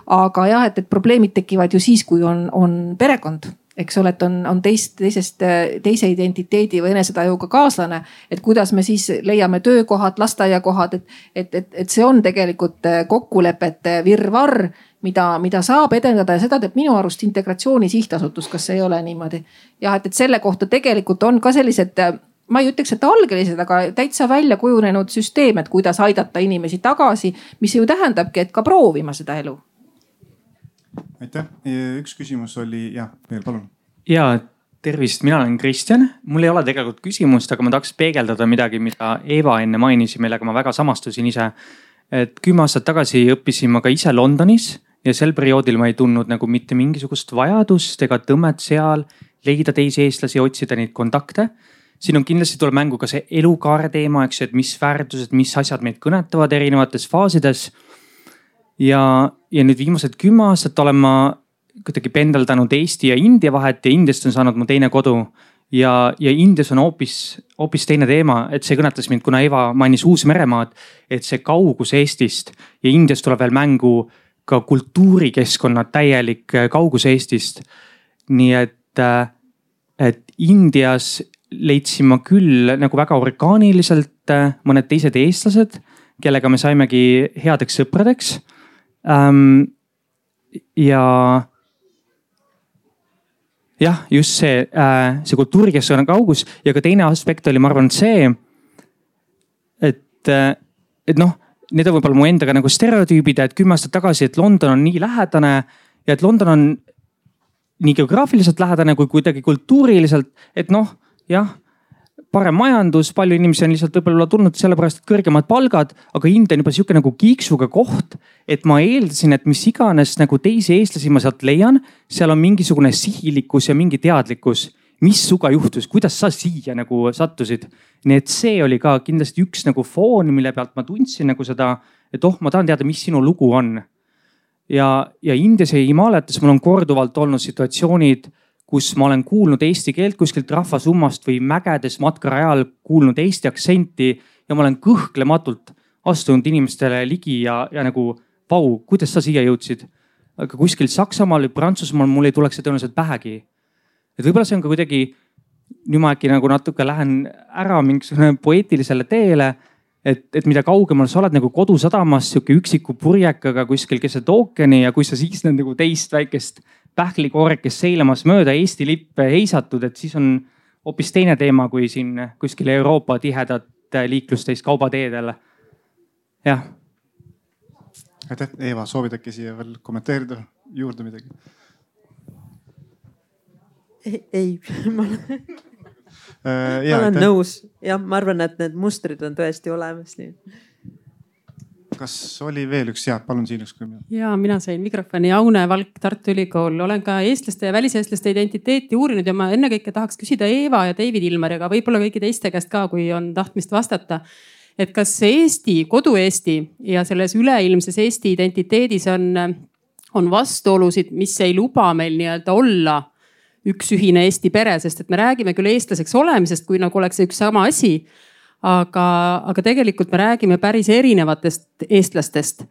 Aga jah, et, et probleemid tekivad ju siis, kui on, on perekond. Eks ole, et on, on teist, teisest, teise identiteedi või enesetajuga kaaslane, et kuidas me siis leiame töökohad, lasteaiakohad, et, et, et, et see on tegelikult kokkulepete virvarr, mida, mida saab edendada ja seda teeb minu arust Integratsiooni Sihtasutus, kas see ei ole niimoodi. jah, et, et selle kohta tegelikult on ka sellised, ma ei ütleks, et algelised, aga täitsa välja kujunenud süsteem, et kuidas aidata inimesi tagasi, mis ju tähendabki, et ka proovima seda elu. Aitäh. Üks küsimus oli, jah, veel palun. Ja tervist, mina olen Kristjan. Mul ei ole tegelikult küsimust, aga ma tahaks peegeldada midagi, mida Eva enne mainisi, millega ma väga samastusin ise. Et kümme aastat tagasi õppisin ma ka ise Londonis ja sel perioodil ma ei tundnud nagu mitte mingisugust vajadust ega tõmmet seal leida teisi eestlasi, otsida neid kontakte. Siin on kindlasti tuleb mängu ka see elukaare teema, eks, et mis väärtused, mis asjad meid kõnetavad erinevates faasides. Ja, ja nüüd viimased kümme aastat olen ma kuidagi pendeldanud Eesti ja India vahet ja Indiast on saanud mu teine kodu. Ja, ja Indias on hoopis, hoopis teine teema, et see kõnetas mind, kuna Eva mainis Uus-Meremaad, et see kaugus Eestist ja Indias tuleb veel mängu ka kultuurikeskkonna täielik kaugus Eestist. Nii et, et Indias leidsin ma küll nagu väga orgaaniliselt mõned teised eestlased, kellega me saimegi headeks sõpradeks. Um, ja jah, just see, äh, see kultuurikeskkonna kaugus ja ka teine aspekt oli, ma arvan, see, et, et noh, need on võib-olla mu endaga nagu stereotüübid, et kümme aastat tagasi, et London on nii lähedane ja et London on nii geograafiliselt lähedane kui kuidagi kultuuriliselt, et noh, jah, parem majandus, palju inimesi on lihtsalt võib-olla tulnud sellepärast, et kõrgemad palgad, aga India on juba sihuke nagu kiiksuga koht, et ma eeldasin, et mis iganes nagu teisi eestlasi ma sealt leian, seal on mingisugune sihilikkus ja mingi teadlikkus, mis suga juhtus, kuidas sa siia nagu sattusid. Nii et see oli ka kindlasti üks nagu foon, mille pealt ma tundsin nagu seda, et oh, ma tahan teada, mis sinu lugu on. Ja, ja Indias ja Himaalayates mul on korduvalt olnud situatsioonid, kus ma olen kuulnud eesti keelt kuskilt rahvasummast või mägedes matkarajal kuulnud eesti aktsenti ja ma olen kõhklematult astunud inimestele ligi ja, ja nagu vau, kuidas sa siia jõudsid. Aga kuskil Saksamaal või Prantsusmaal mul ei tuleks see tõenäoliselt pähegi. Et võib-olla see on ka kuidagi, nüüd ma äkki nagu natuke lähen ära mingisugune poeetilisele teele, et, et mida kaugemal sa oled nagu kodusadamas sihuke üksiku purjekaga kuskil keset ookeani ja kui sa siis nagu teist väikest pähklikoorek, kes seilamas mööda Eesti lippe heisatud, et siis on hoopis teine teema kui siin kuskil Euroopa tihedat liiklusteist kaubateedel. Jah. Aitäh, Eva, soovid äkki siia veel kommenteerida juurde midagi? ei, ei, ma olen, äh, ma olen nõus. jah, ma arvan, et need mustrid on tõesti olemas. Nii. Kas oli veel üks, jah, palun siin üks. Ja mina sain mikrofoni. Aune Valk, Tartu Ülikool. Olen ka eestlaste ja väliseestlaste identiteeti uurinud ja ma ennekõike tahaks küsida Eeva ja David Ilmariga, võib-olla kõigi teiste käest ka, kui on tahtmist vastata. Et kas Eesti, kodu Eesti ja selles üleilmses Eesti identiteedis on, on vastuolusid, mis ei luba meil nii-öelda olla üks ühine Eesti pere, sest et me räägime küll eestlaseks olemisest, kui nagu oleks üks sama asi. Aga, aga tegelikult me räägime päris erinevatest eestlastest.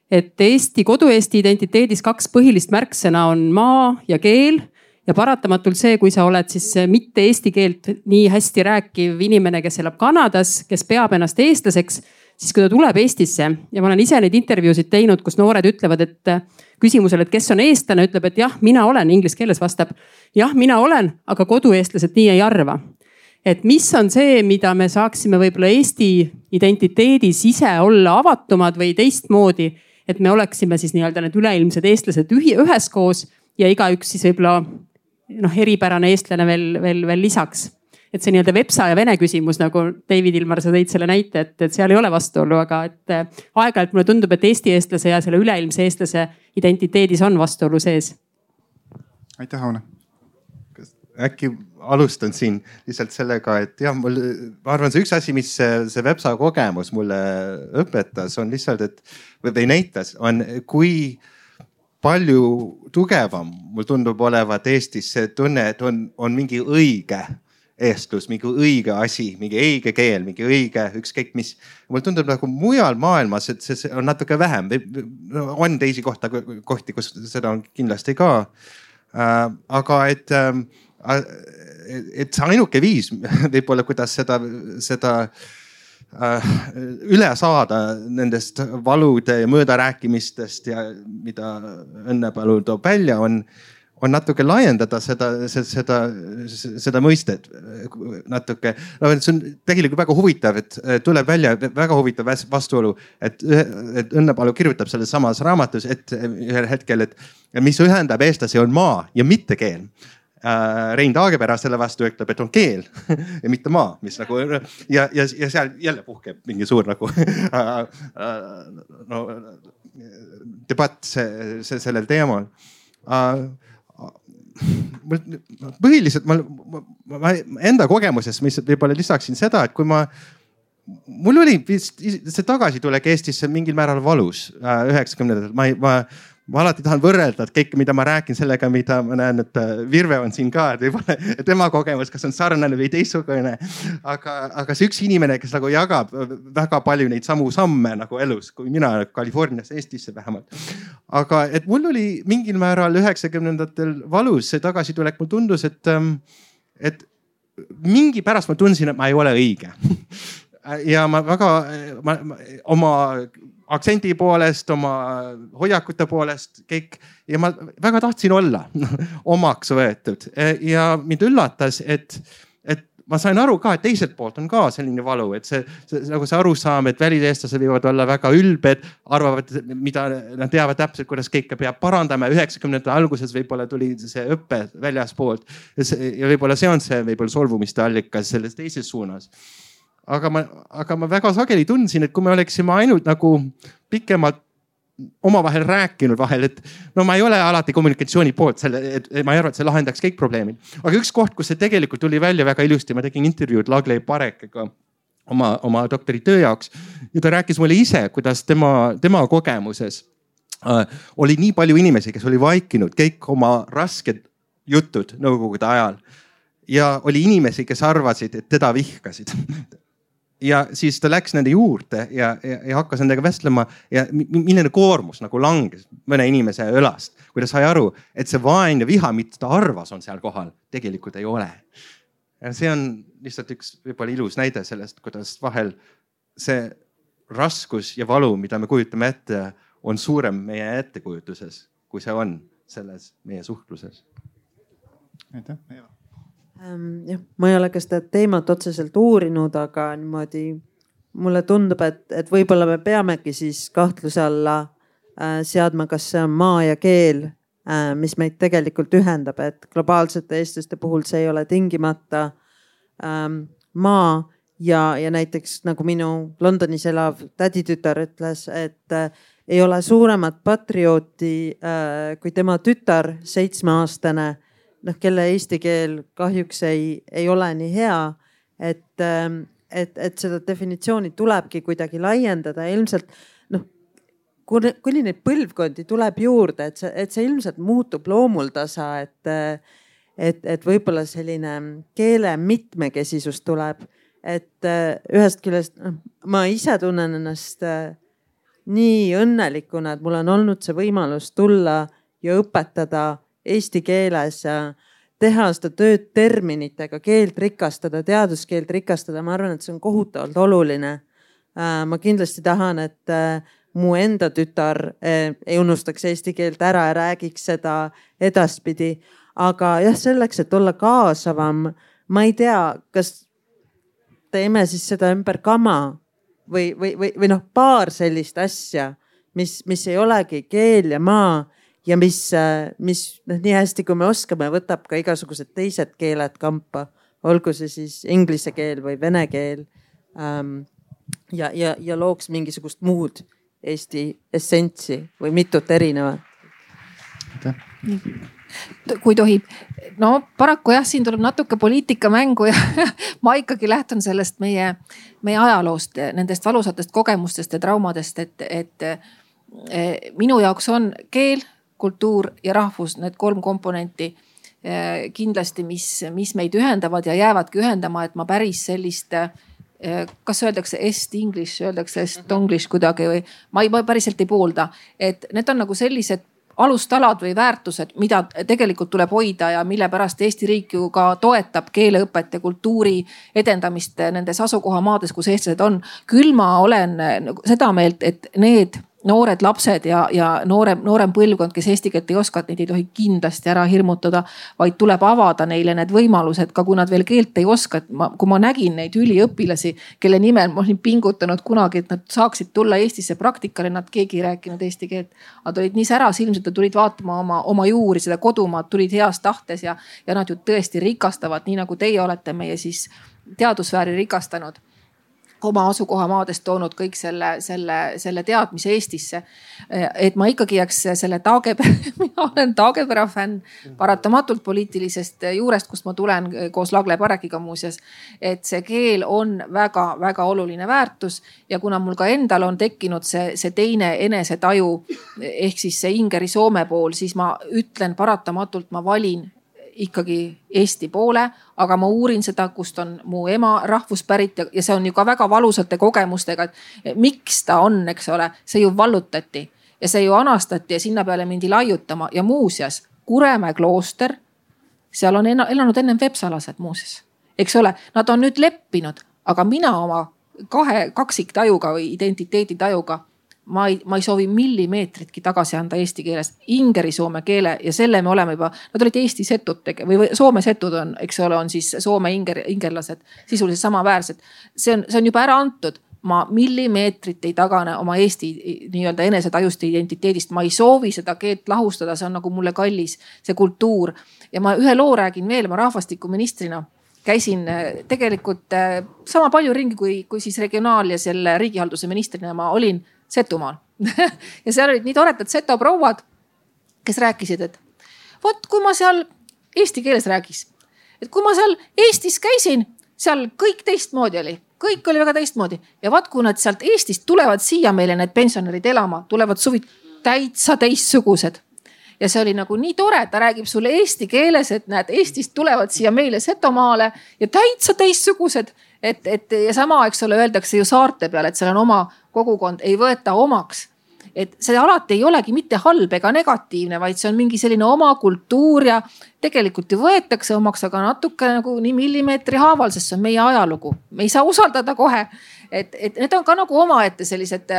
Et Eesti, kodu Eesti identiteedis kaks põhilist märksõna on maa ja keel. Ja paratamatult see, kui sa oled siis mitte eesti keelt nii hästi rääkiv inimene, kes elab Kanadas, kes peab ennast eestlaseks, siis kui ta tuleb Eestisse ja ma olen ise neid intervjuusid teinud, kus noored ütlevad, et küsimusele, et kes on eestlane, ütleb, et jah, mina olen, inglise keeles vastab. Jah, mina olen, aga kodueestlased nii ei arva. Et mis on see, mida me saaksime võib-olla Eesti identiteedis ise olla avatumad või teistmoodi, et me oleksime siis nii-öelda need üleilmsed eestlased üheskoos ja igaüks siis võib-olla noh, eripärane eestlane veel, veel, veel lisaks. Et see nii-öelda vepsa ja vene küsimus, nagu David Ilmar, sa tõid selle näite, et, et seal ei ole vastuolu, aga et aeg-ajalt mulle tundub, et Eesti eestlase ja selle üleilmse eestlase identiteedis on vastuolu sees. Aitäh, Aune. Äkki alustan siin lihtsalt sellega, et jah, mul, ma arvan, see üks asi, mis see, see Vepsa kogemus mulle õpetas, on lihtsalt, et või näitas, on kui palju tugevam mul tundub olevat Eestis see tunne, et on, on mingi õige eestlus, mingi õige asi, mingi õige keel, mingi õige ükskõik mis. Mul tundub nagu mujal maailmas, et see on natuke vähem. On teisi kohta, kohti, kus seda on kindlasti ka. Aga et et see ainuke viis võib-olla, kuidas seda, seda äh, üle saada nendest valude ja möödarääkimistest ja mida Õnnepalu toob välja, on, on natuke laiendada seda, seda, seda mõistet natuke. No, see on tegelikult väga huvitav, et tuleb välja väga huvitav vastuolu, et, et Õnnepalu kirjutab selles samas raamatus, et ühel hetkel, et mis ühendab eestlasi on maa ja mitte keel. Rein Taagepera selle vastu ütleb, et on keel ja mitte maa, mis nagu ja, ja, ja seal jälle puhkeb mingi suur nagu no, debatt see, see, sellel teemal. Põhiliselt ma, ma enda kogemuses, mis võib-olla lisaksin seda, et kui ma mul oli vist see tagasitulek Eestisse mingil määral valus üheksakümnendatel. Ma, ma Ma alati tahan võrrelda, et kõik, mida ma räägin sellega, mida ma näen, et Virve on siin ka, et võib-olla tema kogemus, kas on sarnane või teistsugune. Aga, aga see üks inimene, kes nagu jagab väga palju neid samu samme nagu elus, kui mina Californias, Eestisse vähemalt. Aga et mul oli mingil määral üheksakümnendatel valus see tagasitulek, mul tundus, et, et mingi pärast ma tundsin, et ma ei ole õige. Ja ma väga ma, ma, oma aktsendi poolest, oma hoiakute poolest kõik ja ma väga tahtsin olla omaks võetud ja mind üllatas, et, et ma sain aru ka, et teiselt poolt on ka selline valu, et see, see nagu see arusaam, et väliseestlased võivad olla väga ülbed, arvavad, mida nad teavad täpselt, kuidas kõike peab parandama. üheksakümnendate alguses võib-olla tuli see õppe väljaspoolt ja võib-olla see on see võib-olla solvumiste allikas selles teises suunas. Aga ma, aga ma väga sageli tundsin, et kui me oleksime ainult nagu pikemalt omavahel rääkinud vahel, et no ma ei ole alati kommunikatsiooni poolt, selle, et ma ei arva, et see lahendaks kõik probleemid. Aga üks koht, kus see tegelikult tuli välja väga ilusti, ma tegin intervjuud Lagley Parekega oma, oma doktoritöö jaoks ja ta rääkis mulle ise, kuidas tema, tema kogemuses äh, oli nii palju inimesi, kes oli vaikinud kõik oma rasked jutud nõukogude ajal ja oli inimesi, kes arvasid, et teda vihkasid. Ja siis ta läks nende juurde ja, ja, ja hakkas nendega vestlema ja milline koormus nagu langes mõne inimese õlast, kui ta sai aru, et see vaen ja viha, mida ta arvas on seal kohal, tegelikult ei ole. Ja see on lihtsalt üks võib-olla ilus näide sellest, kuidas vahel see raskus ja valu, mida me kujutame ette, on suurem meie ettekujutuses, kui see on selles meie suhtluses. Aitäh, Eeva. jah, ma ei ole ka seda teemat otseselt uurinud, aga niimoodi mulle tundub, et, et võib-olla me peamegi siis kahtluse alla äh, seadma, kas see on maa ja keel mis meid tegelikult ühendab, et globaalsete eestlaste puhul see ei ole tingimata ähm, maa ja, ja näiteks nagu minu Londonis elav täditütar ütles, et äh, ei ole suuremat patriooti äh, kui tema tütar, seitsmeaastane, noh, kelle eesti keel kahjuks ei, ei ole nii hea, et, äh, et, et seda definitsiooni tulebki kuidagi laiendada ja ilmselt noh, kuni neid põlvkondi tuleb juurde, et see, et see ilmselt muutub loomuldasa, et, et, et võib-olla selline keele mitmekesisus tuleb, et ühest küljest ma ise tunnen ennast nii õnnelikuna, et mul on olnud see võimalus tulla ja õpetada eesti keeles ja teha seda tööd terminitega, keelt rikastada, teaduskeelt rikastada. Ma arvan, et see on kohutavalt oluline. Ma kindlasti tahan, et mu enda tütar eh, ei unustaks eesti keelt ära ja räägiks seda edaspidi. Aga jah, selleks, et olla kaasavam, ma ei tea, kas teeme siis seda ümber kama või, või, või, või noh, paar sellist asja, mis, mis ei olegi keel ja maa ja mis, mis noh, nii hästi kui me oskame, võtab ka igasugused teised keeled kampa, olgu see siis inglise keel või vene keel ähm, ja, ja, ja looks mingisugust muud Eesti essentsi või mitut erinevat. Kui tohib, no paraku jah, siin tuleb natuke poliitika mängu ja ma ikkagi lähtun sellest meie, meie ajaloost, nendest valusatest kogemustest ja traumadest, et, et minu jaoks on keel, kultuur ja rahvus, need kolm komponenti kindlasti, mis, mis meid ühendavad ja jäävadki ühendama, et ma päris sellist kas öeldakse est-english, öeldakse est-english kuidagi või ma, ei, ma päriselt ei poolda, et need on nagu sellised alustalad või väärtused, mida tegelikult tuleb hoida ja mille pärast Eesti riik ju ka toetab keeleõpet ja kultuuri edendamist nendes asukohamaades, kus eestlased on. Küll ma olen seda meelt, et need noored lapsed ja, ja noorem, noorem põlvkond, kes eesti keelt ei oska, et neid ei tohi kindlasti ära hirmutada, vaid tuleb avada neile need võimalused, ka kui nad veel keelt ei oska. Et ma, kui ma nägin neid üliõpilasi, kelle nimel ma olin pingutanud kunagi, et nad saaksid tulla Eestisse praktikale, nad keegi ei rääkinud eesti keelt. Nad olid nii särasilmsed ja tulid vaatama oma, oma juuri, seda kodumaad, tulid heas tahtes ja, ja nad ju tõesti rikastavad, nii nagu teie olete meie siis teadusfääri rikastanud. Oma asukohamaadest toonud kõik selle, selle, selle teadmise Eestisse. Et ma ikkagi jääks selle Taagepera, mina olen Taagepera fänn paratamatult poliitilisest juurest, kust ma tulen koos Lagle Parekiga muuseas. Et see keel on väga, väga oluline väärtus ja kuna mul ka endal on tekkinud see, see teine enesetaju ehk siis see Ingeri Soome pool, siis ma ütlen paratamatult, ma valin ikkagi Eesti poole, aga ma uurin seda, kust on mu ema rahvuspärit ja see on ju ka väga valusate kogemustega, et miks ta on, eks ole, see ju vallutati ja see ju anastati ja sinna peale mindi laiutama ja muuseas Kuremäe klooster, seal on elanud ennem vepsalased muuseas, eks ole, nad on nüüd leppinud, aga mina oma kahe kaksiktajuga või identiteeditajuga Ma ei, ma ei soovi millimeetritki tagasi anda eesti keeles, ingeri soome keele ja selle me oleme juba, nad olid Eesti setud tege, või Soome setud on, eks ole, on siis Soome inger, ingerlased sisuliselt samaväärsed. See on, see on juba ära antud. Ma millimeetrit ei tagane oma Eesti nii-öelda enesetajuste identiteedist. Ma ei soovi seda keelt lahustada, see on nagu mulle kallis, see kultuur. Ja ma ühe loo räägin veel, ma rahvastikuministrina käisin tegelikult sama palju ringi kui, kui siis regionaal- ja selle riigihalduse ministrina ma olin Setumaal. ja seal olid nii toredad seto prouad, kes rääkisid, et vot kui ma seal eesti keeles räägis, et kui ma seal Eestis käisin, seal kõik teistmoodi oli, kõik oli väga teistmoodi ja vaat kui nad sealt Eestist tulevad siia meile need pensionärid elama, tulevad suvid täitsa teistsugused. Ja see oli nagu nii tore, ta räägib sulle eesti keeles, et näed, Eestist tulevad siia meile Setomaale ja täitsa teistsugused. Et, et ja sama, eks ole, öeldakse ju saarte peal, et seal on oma kogukond, ei võeta omaks. Et see alati ei olegi mitte halb ega negatiivne, vaid see on mingi selline oma kultuur ja tegelikult ju võetakse omaks, aga natuke nagu nii millimeetri haaval, sest see on meie ajalugu. Me ei saa usaldada kohe. Et, et need on ka nagu omaette sellised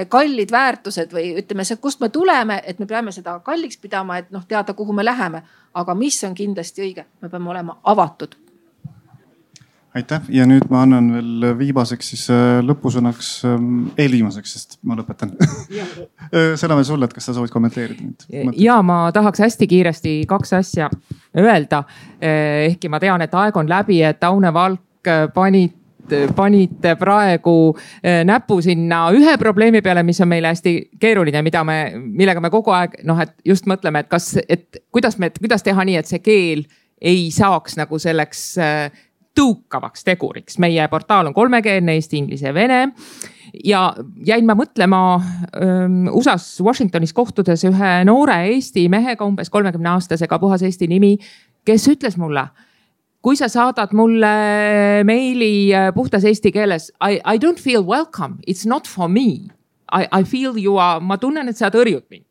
kallid väärtused või ütleme see, kust me tuleme, et me peame seda kalliks pidama, et noh, teada, kuhu me läheme. Aga mis on kindlasti õige, me peame olema avatud. aitäh ja nüüd ma annan veel viimaseks siis lõpusõnaks, eelviimaseks, sest ma lõpetan. Sõna veel sulle, et kas sa soovid kommenteerida? Ja ma tahaks hästi kiiresti kaks asja öelda. Ehkki ma tean, et aeg on läbi, et Aune Valk panid panite praegu näpu sinna ühe probleemi peale, mis on meile hästi keeruline, mida me, millega me kogu aeg noh, et just mõtleme, et kas, et kuidas me, kuidas teha nii, et see keel ei saaks nagu selleks tõukavaks teguriks. Meie portaal on kolmekeelne, eesti, inglise, vene. Ja jäin ma mõtlema um, U S A-s Washingtonis kohtudes ühe noore Eesti mehega, umbes kolmekümne aastasega, puhas Eesti nimi, kes ütles mulle, kui sa saadad mulle meili puhtas eesti keeles, I, I don't feel welcome, it's not for me. I, I feel you are, ma tunnen, et sa tõrjud mind.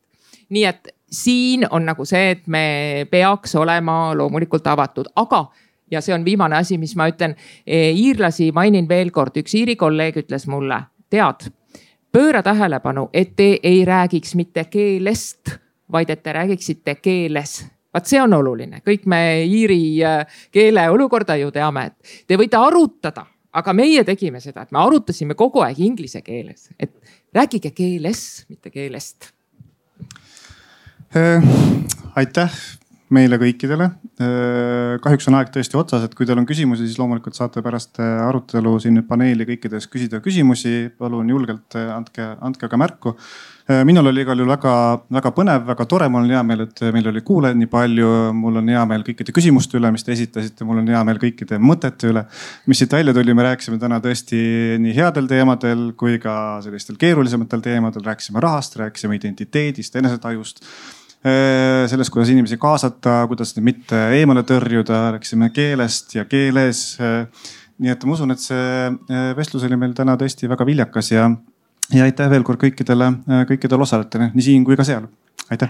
Nii et siin on nagu see, et me peaks olema loomulikult avatud, aga ja see on viimane asi, mis ma ütlen, iirlasi mainin veel kord, üks iiri kolleeg ütles mulle, tead, pööra tähelepanu, et te ei räägiks mitte keelest, vaid et te räägiksite keeles. Vaat see on oluline, kõik me iiri keele olukorda ju teame, et te võite arutada, aga meie tegime seda, et me arutasime kogu aeg inglise keeles, et rääkige keeles, mitte keelest. Äh, aitäh meile kõikidele. Äh, kahjuks on aeg tõesti otsas, et kui teil on küsimusi, siis loomulikult saate pärast arutelu siin nüüd paneeli kõikides küsida küsimusi. Palun julgelt andke, andke ka märku. Minul oli igal juhul väga, väga põnev, väga tore. Mul on hea meel, et meil oli kuulajaid nii palju. Mul on hea meel kõikide küsimuste üle, mis te esitasite. Mul on hea meel kõikide mõtete üle, mis siit välja tuli. Me rääkisime täna tõesti nii headel teemadel kui ka sellistel keerulisematel teemadel. Rääkisime rahast, rääkisime identiteedist, enesetajust. Sellest, kuidas inimesi kaasata, kuidas neid mitte eemale tõrjuda. Rääkisime keelest ja keeles. Nii et ma usun, et see vestlus oli meil täna tõesti väga viljakas ja Ja aitäh veel kord kõikidele, kõikidele osalejatele, nii siin kui ka seal. Aitäh!